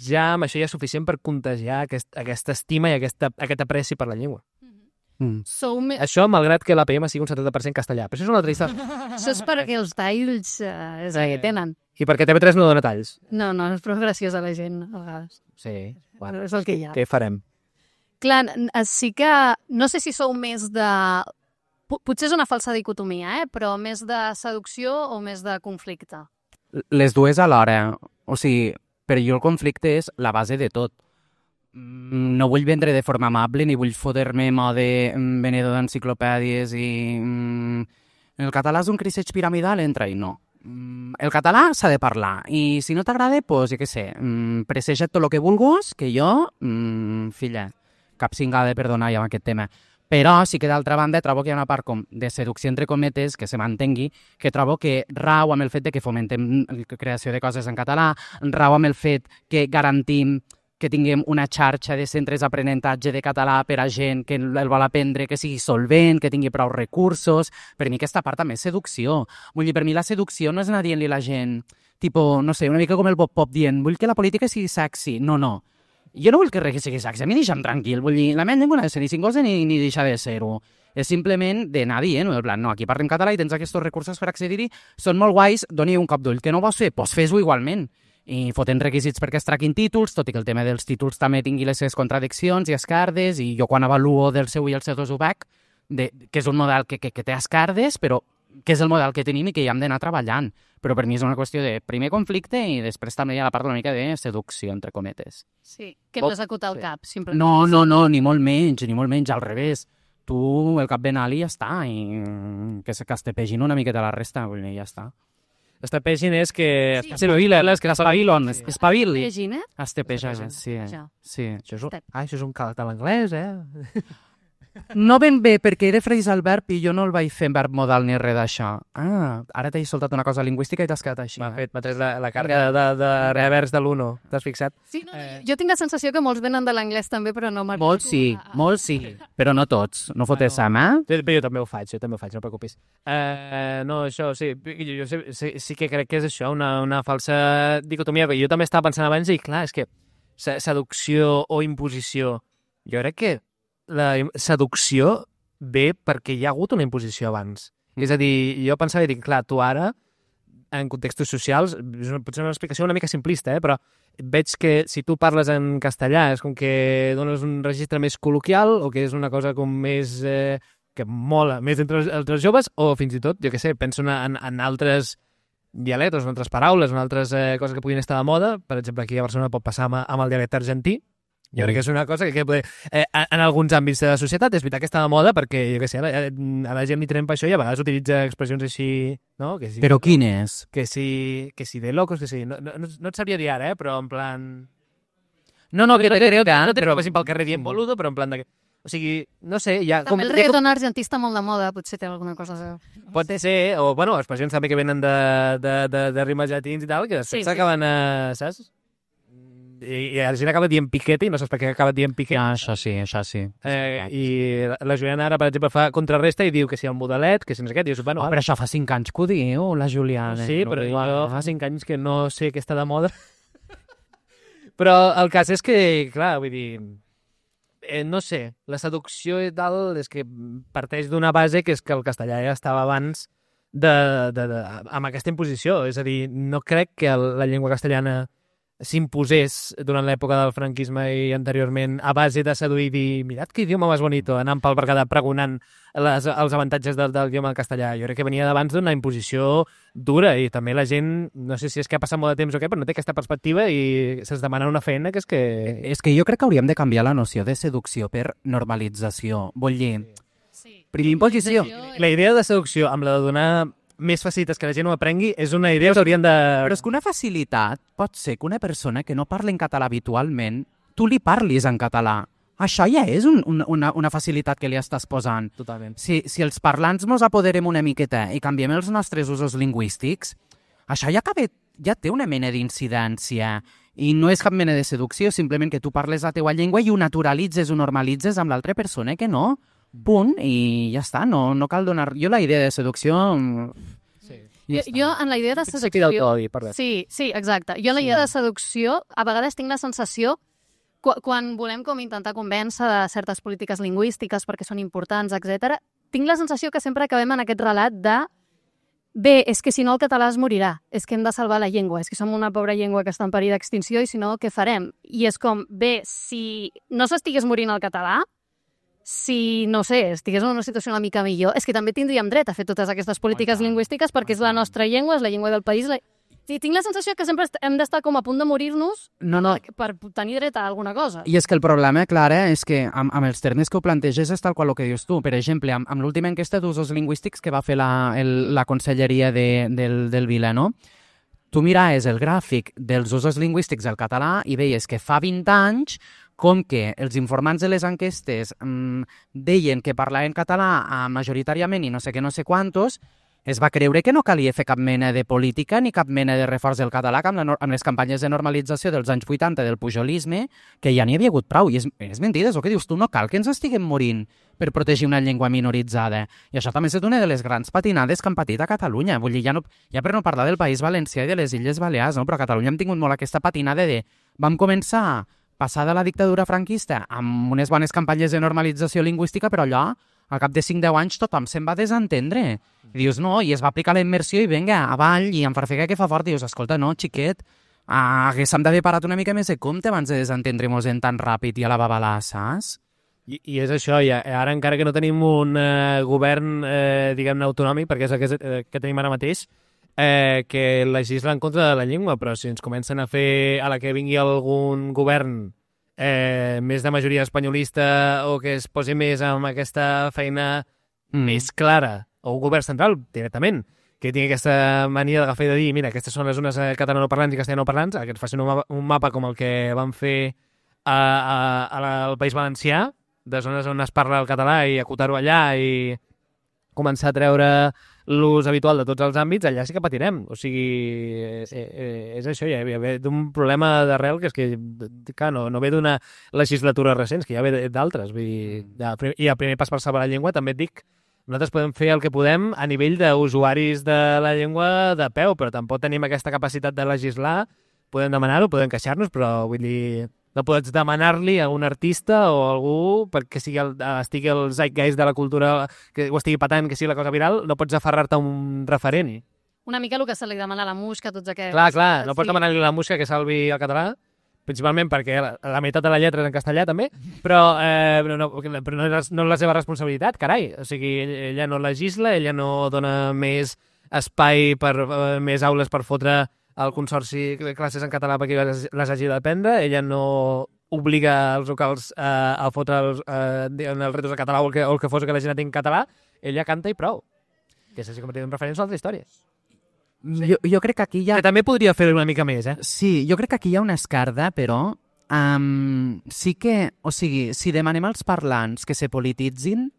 [SPEAKER 2] ja amb això ja és suficient per contagiar aquesta estima i aquest apreci per la llengua. Això, malgrat que l'APM sigui un 70% castellà. Però això és una altra història.
[SPEAKER 1] Això és perquè els talls és el que tenen.
[SPEAKER 2] I perquè TV3 no dona talls.
[SPEAKER 1] No, és prou graciós a la gent, a vegades.
[SPEAKER 2] Sí, bueno.
[SPEAKER 1] És el que hi ha.
[SPEAKER 2] Què farem?
[SPEAKER 1] Clar, sí que... No sé si sou més de... Potser és una falsa dicotomia, però més de seducció o més de conflicte?
[SPEAKER 3] Les dues alhora. O sigui, per jo el conflicte és la base de tot. No vull vendre de forma amable ni vull fotre-me mode venedor d'enciclopèdies i... El català és un criseig piramidal, entra-hi, no. El català s'ha de parlar i si no t'agrada, doncs, jo què sé, presseja't tot el que vulguis, que jo, filla, cap cingada, perdona, ja amb aquest tema. Però sí que d'altra banda trobo que hi ha una part com de seducció entre cometes que se mantengui, que trobo que rau amb el fet de que fomentem la creació de coses en català, rau amb el fet que garantim que tinguem una xarxa de centres d'aprenentatge de català per a gent que el vol aprendre, que sigui solvent, que tingui prou recursos. Per mi aquesta part també és seducció. Vull dir, per mi la seducció no és anar dient-li a la gent, tipo, no sé, una mica com el Bob Pop dient, vull que la política sigui sexy. No, no. Jo no vull que res sigui sexy, a mi deixa'm tranquil. Vull dir, la meva llengua no ha de ser ni cingosa ni deixar de ser-ho. És simplement d'anar dient, en plan, no, aquí parlem català i tens aquests recursos per accedir-hi, són molt guais, doni un cop d'ull. Que no ho vols fer? Doncs fes-ho igualment. I fotent requisits perquè es traquin títols, tot i que el tema dels títols també tingui les seves contradiccions i escardes, i jo quan avaluo del seu i el C2 UBAC, que és un model que té escardes, però que és el model que tenim i que hi hem d'anar treballant. Però per mi és una qüestió de primer conflicte i després també hi ha la part una mica de seducció, entre cometes.
[SPEAKER 1] Sí, que hem d'executar el cap, simplement.
[SPEAKER 3] No, ni molt menys, al revés. Tu, el cap ben alt i ja està, i que es tepegin una miqueta la resta, vull dir, ja està.
[SPEAKER 2] Estapegin és que...
[SPEAKER 1] Sí.
[SPEAKER 3] És que espavilen, espavili.
[SPEAKER 1] Estapegin, eh?
[SPEAKER 3] Estepegen, sí.
[SPEAKER 2] Això és un calt a l'anglès, eh?
[SPEAKER 3] No ben bé, perquè he de freisar el verb i jo no el vaig fer en verb modal ni res d'això. Ara t'he soltat una cosa lingüística i t'has quedat així.
[SPEAKER 2] M'ha tret la càrrega de revers de l'uno. T'has fixat?
[SPEAKER 1] Sí, no, jo tinc la sensació que molts venen de l'anglès també, però no m'arribo.
[SPEAKER 3] Molts sí, però no tots. No fotés sama.
[SPEAKER 2] Jo també ho faig, no et preocupis. No, això, sí, jo sí que crec que és això, una falsa dicotomia. Jo també estava pensant abans i, clar, és que seducció o imposició, jo crec que la seducció ve perquè hi ha hagut una imposició abans. És a dir, jo pensava i dic, clar, tu ara, en contextos socials, potser una explicació una mica simplista, però veig que si tu parles en castellà és com que dones un registre més col·loquial o que és una cosa com més... que mola més entre els joves, o fins i tot, jo què sé, penso en altres dialectes, en altres paraules, en altres coses que puguin estar de moda. Per exemple, aquí a Barcelona pot passar amb el dialecte argentí. Jo crec que és una cosa que en alguns àmbits de la societat és veritat que està de moda perquè, jo què sé, a la gent li trempa això i a vegades utilitza expressions així, no? Que si,
[SPEAKER 3] però quines?
[SPEAKER 2] Que si de locos, que si... No et sabria dir ara, però en plan...
[SPEAKER 3] No, crec que...
[SPEAKER 2] No t'hi passin pel carrer dient boludo, però en plan de... O sigui, no sé, hi ha...
[SPEAKER 1] També el reggaeton argentí està molt de moda, potser té alguna cosa a veure.
[SPEAKER 2] Pot ser, o, bueno, expressions també que venen de rimes llatins i tal, que després s'acaben, saps? I la gent acaba dient piquete i no saps per què acaba dient piquete.
[SPEAKER 3] Això sí.
[SPEAKER 2] I la Juliana ara, per exemple, fa contrarresta i diu que si el modelet, que si no sé què, dius, bueno...
[SPEAKER 3] però això fa 5 anys que ho diu, la Juliana.
[SPEAKER 2] Sí, però fa 5 anys que no sé què està de moda. Però el cas és que, clar, vull dir... no sé, la seducció i tal és que parteix d'una base que és que el castellà ja estava abans amb aquesta imposició. És a dir, no crec que la llengua castellana s'imposés durant l'època del franquisme i anteriorment a base de seduir i dir, mirad que idioma més bonito, anant pel Berguedà pregonant els avantatges del idioma castellà. Jo crec que venia d'abans d'una imposició dura i també la gent, no sé si és que ha passat molt de temps o què, però no té aquesta perspectiva i se'ls demana una feina que és que...
[SPEAKER 3] És que jo crec que hauríem de canviar la noció de seducció per normalització. Vull dir, primer imposició.
[SPEAKER 2] La idea de seducció amb la de donar més facilitats que la gent ho aprengui és una idea que haurien de...
[SPEAKER 3] Però és que una facilitat pot ser que una persona que no parla en català habitualment, tu li parlis en català. Això ja és una facilitat que li estàs posant.
[SPEAKER 2] Totalment.
[SPEAKER 3] Si els parlants mos apoderem una miqueta i canviem els nostres usos lingüístics, això ja té una mena d'incidència. I no és cap mena de seducció, simplement que tu parles la teua llengua i ho naturalitzes, ho normalitzes amb l'altra persona que no. Punt, i ja està, no cal donar... Jo la idea de seducció...
[SPEAKER 1] Sí. Jo en la idea de seducció... Sí, exacte. Jo en la idea de seducció a vegades tinc la sensació quan volem com intentar convèncer de certes polítiques lingüístiques perquè són importants, etc. tinc la sensació que sempre acabem en aquest relat de bé, és que si no el català es morirà, és que hem de salvar la llengua, és que som una pobra llengua que està en perill d'extinció i si no, què farem? I és com, bé, si no s'estigués morint el català, si, no sé, estigués en una situació una mica millor, és que també tindríem dret a fer totes aquestes polítiques lingüístiques perquè és la nostra llengua, és la llengua del país. Sí, tinc la sensació que sempre hem d'estar com a punt de morir-nos per tenir dret a alguna cosa.
[SPEAKER 3] I és que el problema, Clara, és que amb els termes que ho planteges és tal qual el que dius tu. Per exemple, amb l'última enquesta d'usos lingüístics que va fer la Conselleria del Vila, no? Tu miraves el gràfic dels usos lingüístics del català i veies que fa 20 anys com que els informants de les enquestes deien que parlaven català majoritàriament i no sé què, no sé quantos, es va creure que no calia fer cap mena de política ni cap mena de reforç del català amb les campanyes de normalització dels anys 80 del pujolisme, que ja n'hi havia hagut prou. I és mentida, és el que dius tu, no cal que ens estiguem morint per protegir una llengua minoritzada. I això també és una de les grans patinades que han patit a Catalunya. Vull dir, ja per no parlar del País Valencià i de les Illes Balears, no? Però a Catalunya hem tingut molt aquesta patinada de... Vam començar passada la dictadura franquista amb unes bones campanyes de normalització lingüística, però allò, al cap de 5-10 anys, tothom se'n va desentendre. I dius, no, i es va aplicar la immersió i vinga, avall, i en Farfega que fa fort. I dius, escolta, no, xiquet, haguéssim d'haver parat una mica més de compte abans de desentendre-nos tan ràpid i a la babalà, saps?
[SPEAKER 2] I és això, ja, ara encara que no tenim un govern, diguem-ne, autonòmic, perquè és el que tenim ara mateix, que legisla en contra de la llengua, però si ens comencen a fer, a la que vingui algun govern més de majoria espanyolista o que es posi més amb aquesta feina més clara, o un govern central, directament, que tingui aquesta mania d'agafar i de dir, mira, aquestes són les zones catalanoparlants i castellanoparlants, que ens facin un mapa com el que van fer al País Valencià, de zones on es parla el català i acotar-ho allà i començar a treure l'ús habitual de tots els àmbits, allà sí que patirem. O sigui, és això, ja ve d'un problema d'arrel que és que, clar, no ve d'una legislatura recent, que ja ve d'altres. I el primer pas per salvar la llengua, també et dic, nosaltres podem fer el que podem a nivell d'usuaris de la llengua de peu, però tampoc tenim aquesta capacitat de legislar. Podem demanar-ho, podem queixar-nos, però vull dir... No pots demanar-li a un artista o a algú perquè estigui el zeitgeist de la cultura, que ho estigui patant, que sigui la cosa viral, no pots aferrar-te a un referent.
[SPEAKER 1] Una mica el que se li demana a la Musca, tots aquests...
[SPEAKER 2] Clar, no pots demanar-li a la Musca que salvi el català, principalment perquè la meitat de la lletra és en castellà també, però no és la seva responsabilitat, carai. O sigui, ella no legisla, ella no dona més espai per més aules per fotre el Consorci de classes en català perquè les hagi d'aprendre, ella no obliga els locals a fotre els retos de català o el que fos que la gent tingui català, ella canta i prou. Que és així com tenim referents a altres històries.
[SPEAKER 3] Jo crec que aquí hi ha...
[SPEAKER 2] Que també podria fer una mica més,
[SPEAKER 3] Sí, jo crec que aquí hi ha una escarda, però sí que... O sigui, si demanem als parlants que se polititzin,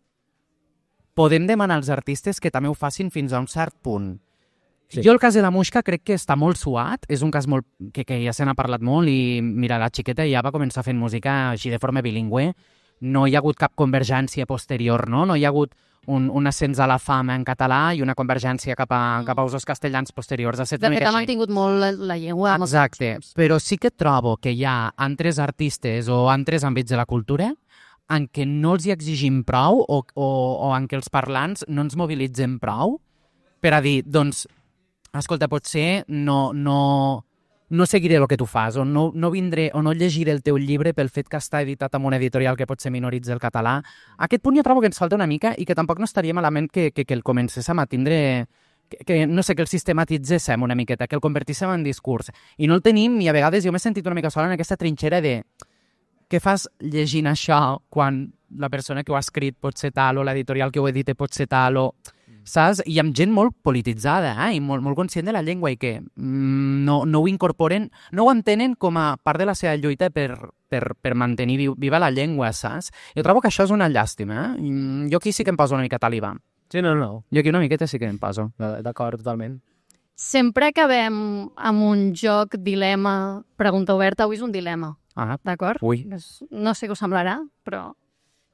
[SPEAKER 3] podem demanar als artistes que també ho facin fins a un cert punt. Sí. Jo el cas de la Musca crec que està molt suat, és un cas molt que ja se n'ha parlat molt i mira, la xiqueta ja va començar fent música així de forma bilingüe, no hi ha hagut cap convergència posterior, no hi ha hagut un ascens a la fama en català i una convergència cap a usos castellans posteriors.
[SPEAKER 1] De fet, ha mantingut molt la llengua.
[SPEAKER 3] Exacte, però sí que trobo que hi ha altres artistes o altres àmbits de la cultura en què no els hi exigim prou o en què els parlants no ens mobilitzem prou per a dir, doncs, escolta, potser no seguiré el que tu fas, o no vindré, o no llegiré el teu llibre pel fet que està editat amb una editorial que potser minoritza el català. A aquest punt jo trobo que ens falta una mica i que tampoc no estaria malament que el comencéssim a tindre, que no sé, que el sistematitzéssim una miqueta, que el convertíssim en discurs. I no el tenim, i a vegades jo m'he sentit una mica sola en aquesta trinxera de què fas llegint això quan la persona que ho ha escrit pot ser tal, o l'editorial que ho edita pot ser tal, o... saps? I amb gent molt polititzada i molt conscient de la llengua i que no ho incorporen, no ho entenen com a part de la seva lluita per mantenir viva la llengua, saps? Jo trobo que això és una llàstima. Jo aquí sí que em poso una mica talibà.
[SPEAKER 2] Sí, no.
[SPEAKER 3] Jo aquí una miqueta sí que em poso.
[SPEAKER 2] D'acord, totalment.
[SPEAKER 1] Sempre acabem amb un joc, dilema, pregunta oberta. Avui és un dilema, d'acord?
[SPEAKER 3] Ui.
[SPEAKER 1] No sé què us semblarà, però...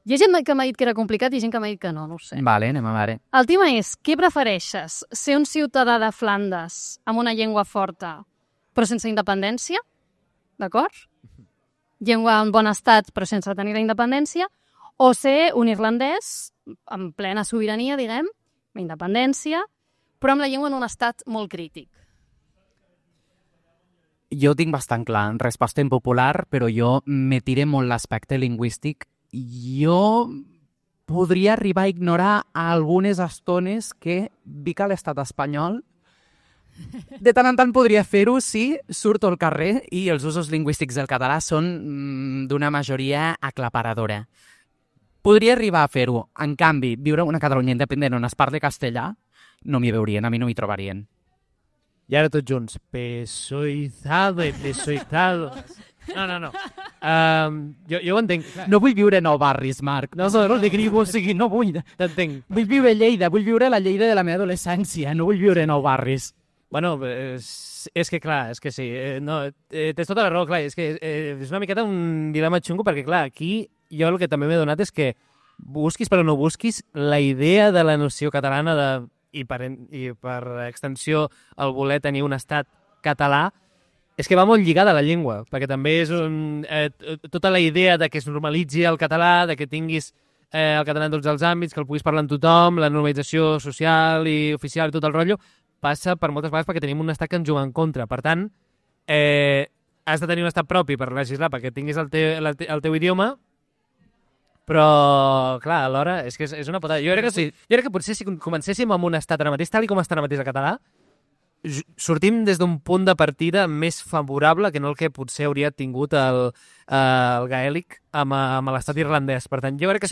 [SPEAKER 1] Hi ha gent que m'ha dit que era complicat i gent que m'ha dit que no ho sé.
[SPEAKER 3] Vale, anem a veure.
[SPEAKER 1] El tema és, què prefereixes? Ser un ciutadà de Flandes amb una llengua forta però sense independència? D'acord? Llengua en bon estat però sense tenir la independència? O ser un irlandès en plena sobirania, diguem, amb independència, però amb la llengua en un estat molt crític?
[SPEAKER 3] Jo ho tinc bastant clar, resposta impopular, però jo me tire molt l'aspecte lingüístic. Jo podria arribar a ignorar algunes estones que vic a l'estat espanyol. De tant en tant podria fer-ho si surto al carrer i els usos lingüístics del català són d'una majoria aclaparadora. Podria arribar a fer-ho. En canvi, viure una Catalunya independent on es parli castellà, no m'hi veurien, a mi no m'hi trobarien.
[SPEAKER 2] I ara tots junts. Pesoizado. No. Jo ho entenc.
[SPEAKER 3] No vull viure nou barris, Marc. No dic ningú, o sigui, no vull.
[SPEAKER 2] T'entenc.
[SPEAKER 3] Vull viure a Lleida, vull viure la Lleida de la meva adolescència, no vull viure nou barris.
[SPEAKER 2] Bueno, és que clar, és que sí. Tens tota la raó, clar. És que és una miqueta un dilema xungo perquè, clar, aquí jo el que també m'he donat és que busquis però no busquis, la idea de la noció catalana i per extensió el voler tenir un estat català és que va molt lligada a la llengua, perquè també és tota la idea de que es normalitzi el català, de que tinguis el català en tots els àmbits, que el puguis parlar amb tothom, la normalització social i oficial i tot el rotllo, passa per moltes vegades perquè tenim un estat que ens juga en contra. Per tant, has de tenir un estat propi per legislar perquè tinguis el teu idioma, però, clar, alhora, és que és una putada. Jo crec que potser si comencéssim amb un estat ara mateix, tal com està ara mateix el català, sortim des d'un punt de partida més favorable que no el que potser hauria tingut el gaèlic amb l'estat irlandès. Per tant, jo crec que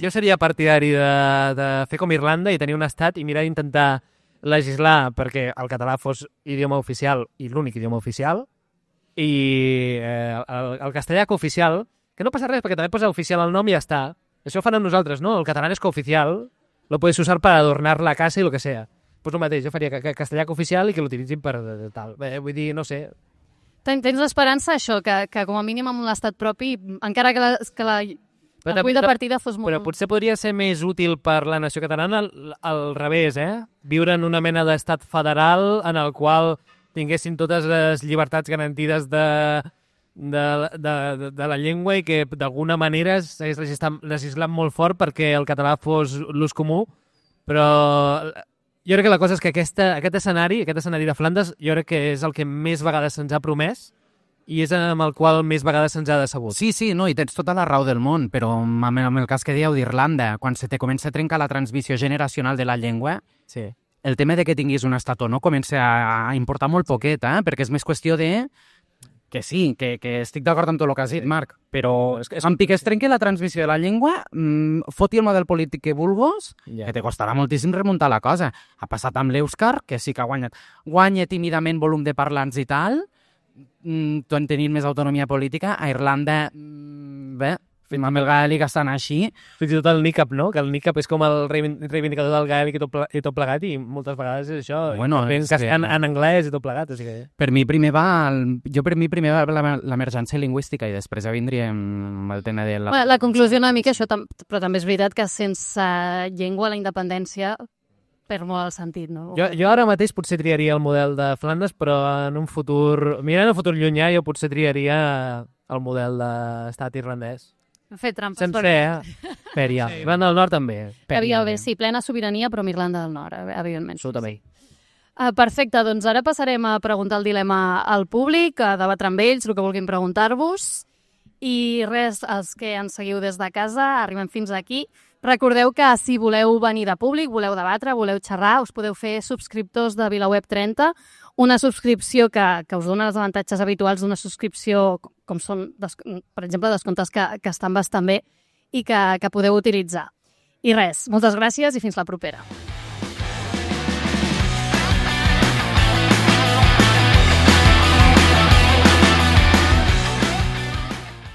[SPEAKER 2] jo seria partidari de fer com Irlanda i tenir un estat i mirar d'intentar legislar perquè el català fos idioma oficial i l'únic idioma oficial i el castellà cooficial, que no passa res perquè també posa oficial al nom i ja està. Això ho fan amb nosaltres, no? El català és cooficial, lo puedes usar para adornar la casa i lo que sea. Pues el mateix, jo faria castellà oficial i que l'utilitzin per tal. Vull dir, no sé.
[SPEAKER 1] Tens l'esperança, això, que com a mínim amb l'estat propi, encara que el punt de partida fos molt...
[SPEAKER 2] Però potser podria ser més útil per la nació catalana al revés, viure en una mena d'estat federal en el qual tinguessin totes les llibertats garantides de la llengua i que d'alguna manera s'hagués legislat molt fort perquè el català fos l'ús comú, però... Jo crec que la cosa és que aquest escenari de Flandes, jo crec que és el que més vegades se'ns ha promès i és amb el qual més vegades se'ns ha decebut.
[SPEAKER 3] Sí, no, i tens tota la raó del món, però amb el cas que dieu d'Irlanda, quan se te comença a trencar la transmissió generacional de la llengua,
[SPEAKER 2] sí.
[SPEAKER 3] El tema de que tinguis un estat o no comença a importar molt poquet, perquè és més qüestió de... Que sí, que estic d'acord amb tot el que has dit, Marc, però amb que es trenqui la transmissió de la llengua, foti el model polític que vulguis, que te costarà moltíssim remuntar la cosa. Ha passat amb l'Èuscar, que sí que ha guanyat. Guanya tímidament volum de parlants i tal, tenint més autonomia política. A Irlanda, bé, amb el gaèlic estan així.
[SPEAKER 2] Fins i tot el NICAP, no? Que el NICAP és com el reivindicador del gaèlic i tot plegat, i moltes vegades és això.
[SPEAKER 3] Bueno,
[SPEAKER 2] en anglès i tot plegat. O sigui...
[SPEAKER 3] Per mi primer va l'emergència lingüística i després ja vindríem el tema de la...
[SPEAKER 1] La conclusió una mica això, però també és veritat que sense llengua la independència perd molt el sentit, no?
[SPEAKER 2] Jo ara mateix potser triaria el model de Flandes, però en un futur... Mirant el futur llunyà, jo potser triaria el model d'estat irlandès.
[SPEAKER 1] Fer trampes.
[SPEAKER 2] Sense Pèria. Irlanda del Nord també.
[SPEAKER 1] Sí, plena sobirania, però amb Irlanda del Nord, evidentment.
[SPEAKER 2] Absolutament.
[SPEAKER 1] Perfecte, doncs ara passarem a preguntar el dilema al públic, a debatre amb ells el que vulguin preguntar-vos. I res, els que ens seguiu des de casa, arribem fins aquí. Recordeu que si voleu venir de públic, voleu debatre, voleu xerrar, us podeu fer subscriptors de VilaWeb 30, una subscripció que us dona els avantatges habituals d'una subscripció com són, per exemple, descomptes que estan bastant bé i que podeu utilitzar. I res, moltes gràcies i fins la propera.